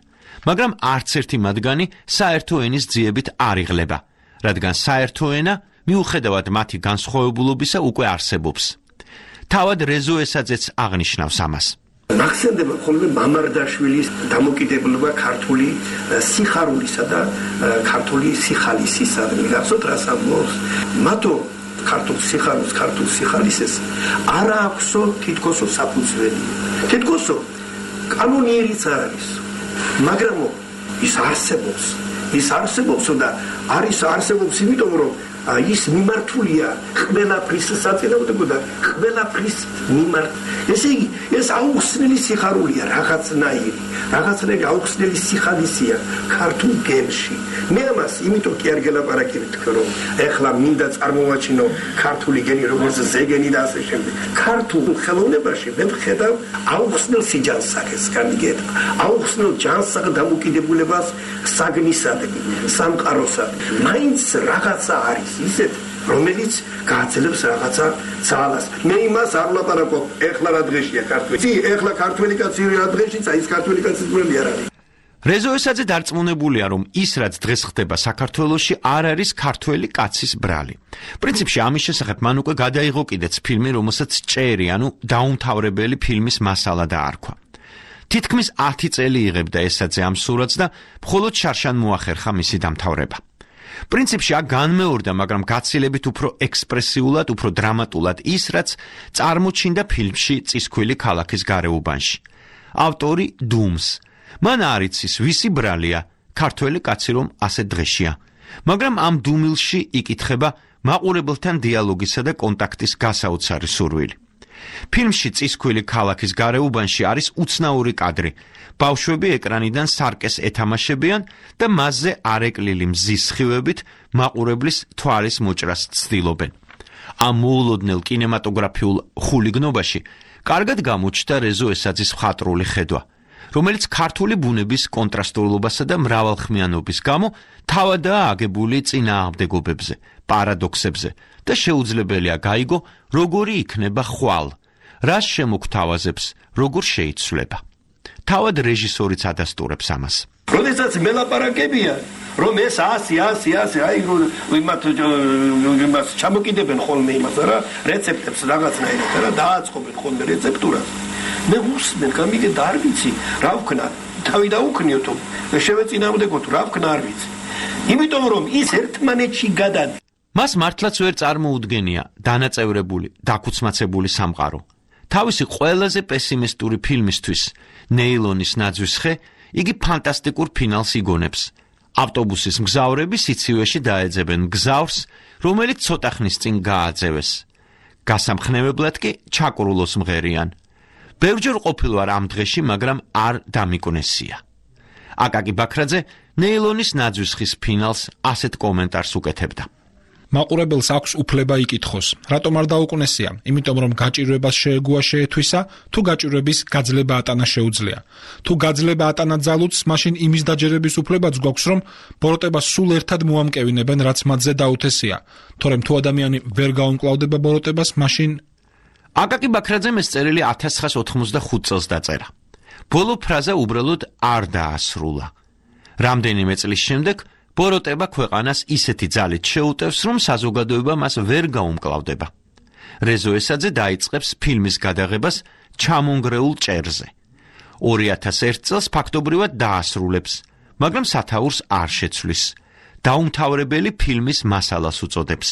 მაგრამ არც ერთი მათგანი საერთო ენის ძიებით არ იღლება, რადგან საერთო ენა მიუხედავად მათი განსხვავებულობისა უკვე არსებობს. თავად რეზო ესაძეც აღნიშნავს ამას. მახსენდება ხოლმე მამარდაშვილის დამოკიდებულება ქართული სიხარულისა და ქართული სიხალისისა. მიგახსოვთ რას ამბობს? მათო ქართულ სიხარულს, ქართულ სიხალისეს არ აქვსო თითქოსო საფუძველი. თითქოსო კანონიერიც არ არის. მაგრამ ის არსებობს. ის არსებობს და არის არსებობს იმიტომ რომ ის მიმართულია ყველაფრის საწინააღმდეგო და ყველაფრის მიმართ. ესე იგი, ეს აუხსნელი სიხარულია, რაღაცნაირი, რაღაცნაირი აუხსნელი სიხალისია ქართულ გენში. მე ამას იმიტომ კი არ გელაპარაკებ თქო, რომ ეხლა მინდა წარმოვაჩინო ქართული გენი, როგორც ზეგენი და ასე შემდეგ. ქართულ ხელოვნებაში მე ვხედავ აუხსნელ სიჯანსაღეს, განიგეთ, აუხსნელ ჯანსაღ დამოკიდებულებას საგნისადმი, სამყაროსადმი. მაინც რაღაცა არის ისეთ, რომელიც გააძლევს რაღაცა ძალას. მე იმას არ ვლაპარაკობ, ეხლა რა დღეშია ქართველი. ეხლა ქართველი კაცი რა დღეშიც, აი ეს ქართველი კაცის ძმელი არ არის. რეზო ესაძე დარწმუნებულია, რომ ის რაც დღეს ხდება საქართველოში არ არის ქართველი კაცის ბრალი. პრინციპში ამის შესახებ მან უკვე გადაიღო კიდეც ფილმი, რომელსაც ჭერი, ანუ დაუმთავრებელი ფილმის მასალა დაარქვა. თითქმის ათი წელი იღებდა ესაძე ამ სურათს და მხოლოდ შარშან მოახერხა მისი დამთავრება. პრინციპში აქ განმეორდა, მაგრამ გაცილებით უფრო ექსპრესიულად, უფრო დრამატულად ის, რაც წარმოჩინდა ფილმში წისქვილი ქალაქის გარეუბანში. ავტორი დუმს. მან არ იცის, ვისი ბრალია ქართველი კაცი რომ ასე დღეშია. მაგრამ ამ დუმილში იკითხება მაყურებელთან დიალოგისა და კონტაქტის გასაოცარი სურვილი. ფილმში წისქვილი ქალაქის გარეუბანში არის უცნაური კადრი. ბავშვები ეკრანიდან სარკეს ეთამაშებიან და მასზე არეკლილი მზის სხივებით მაყურებლის თვალის მოჭრას ცდილობენ. ამ მოულოდნელ კინემატოგრაფიულ ხულიგნობაში კარგად გამოჩნდა რეზო ესაძის მხატვრული ხედვა, რომელიც ქართული ბუნების კონტრასტულობასა და მრავალხმიანობის გამო თავადაა აგებული წინააღმდეგობებზე, პარადოქსებზე და შეუძლებელია გაიგო, როგორი იქნება ხვალ, რას შემოგთავაზებს, როგორ შეიცვლება. თავად რეჟისორიც ადასტურებს ამას. როდესაც მელაპარაკებია, რომ ეს ასი, ასი, ასი, აი იმათ იმას ჩამოკიდებენ ხოლმე იმას რა, რეცეპტებს რაღაცნაირად რა დააწყობენ ხოლმე რეცეპტურას. მე უსმენ, გამიგე და არ ვიცი, რა ვქნა, თავი დაუქნიოთო, შევეწინააღმდეგოთ, რა ვქნა არ ვიცი. იმიტომ რომ ის ერთმანეთში გადადის. მას მართლაც ვერ წარმოუდგენია დანაწევრებული, დაქუცმაცებული სამყარო. თავისი ყველაზე პესიმისტური ფილმისთვის, ნეილონის ნაძვის ხე, იგი ფანტასტიკურ ფინალს იგონებს. ავტობუსის მგზავრები სიცივეში დაეძებენ მგზავრს, რომელიც ცოტა ხნის წინ გააძევეს. გასამხნევებლად კი ჩაკრულოს მღერიან. ბევრჯერ ყოფილ ვარ ამ დღეში, მაგრამ არ დამიკვნესია. აკაკი ბაქრაძე ნეილონის ნაძვის ხის ფინალს ასეთ კომენტარს უკეთებდა. მაყურებელს აქვს უფლება იკითხოს. რატომ არ დაუკვნესია? იმიტომ რომ გაჭირვებას შეეგუა შეეთვისა, თუ გაჭირვების გაძლება ატანა შეუძლია. თუ გაძლება ატანა ძალუც, მაშინ იმის დაჯერების უფლებაც გვაქვს, რომ ბოროტებას სულ ერთად მოამკევინებენ, რაც მათზე დაუთესია. თორემ თუ ადამიანი ვერ გაუმკლავდება ბოროტებას, მაშინ აკაკი ბაქრაძემ ეს წერილი ათას ცხრაას ოთხმოცდახუთ წელს დაწერა. ბოლო ფრაზა უბრალოდ არ დაასრულა. რამდენიმე წლის შემდეგ ბოროტება ქვეყანას ისეთი ძალით შეუტევს, რომ საზოგადოება მას ვერ გაუმკლავდება. რეზო ესაძე დაიწყებს ფილმის გადაღებას ჩამონგრეულ ჭერზე. ორი ათას ერთ წელს ფაქტობრივად დაასრულებს, მაგრამ სათაურს არ შეცვლის. დაუმთავრებელი ფილმის მასალას უწოდებს.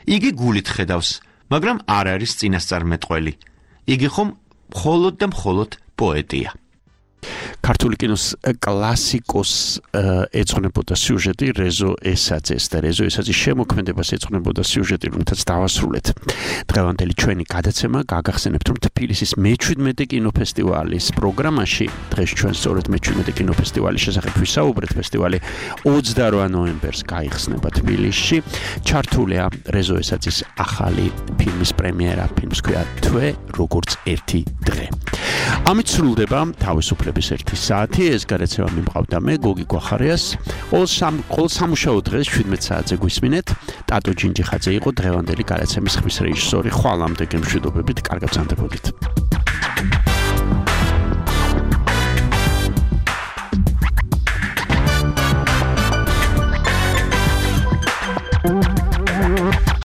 იგი გულით ხედავს, მაგრამ არ არის წინასწარმეტყველი. იგი ხომ მხოლოდ და მხოლოდ პოეტია. ქართული კინოს კლასიკოს ეძღვნებოდა სიუჟეტი რეზო ესაძეს და რეზო ესაძის შემოქმედებას ეძღვნებოდა სიუჟეტი, რომელთაც დავასრულეთ. დღევანდელი ჩვენი გადაცემა გაგახსენებთ, რომ თბილისის მეჩვიდმეტე კინოფესტივალის პროგრამაში დღეს ჩვენ სწორედ მეჩვიდმეტე კინოფესტივალის შესახებ ვისაუბრეთ. ფესტივალი ოცდარვა ნოემბერს გაიხსნება თბილისში. ჩართულია რეზო ესაძის ახალი ფილმის პრემიერა, ფილმს ქვია თვე როგორც ერთი დღე. ამით სრულდება თავისუფლების ერთი საათი. ეს გადაცემა მიმყავდა მე გოგი გვახარიას. ყოველ სამუშაო დღეს შვიდმეტ საათზე გვისმინეთ. ტატო ჯინჯიხაძე იყო დღევანდელი გადაცემის ხმის რეჟისორი. ხვალამდე გემშვიდობებით, კარგად ზამთრობდით.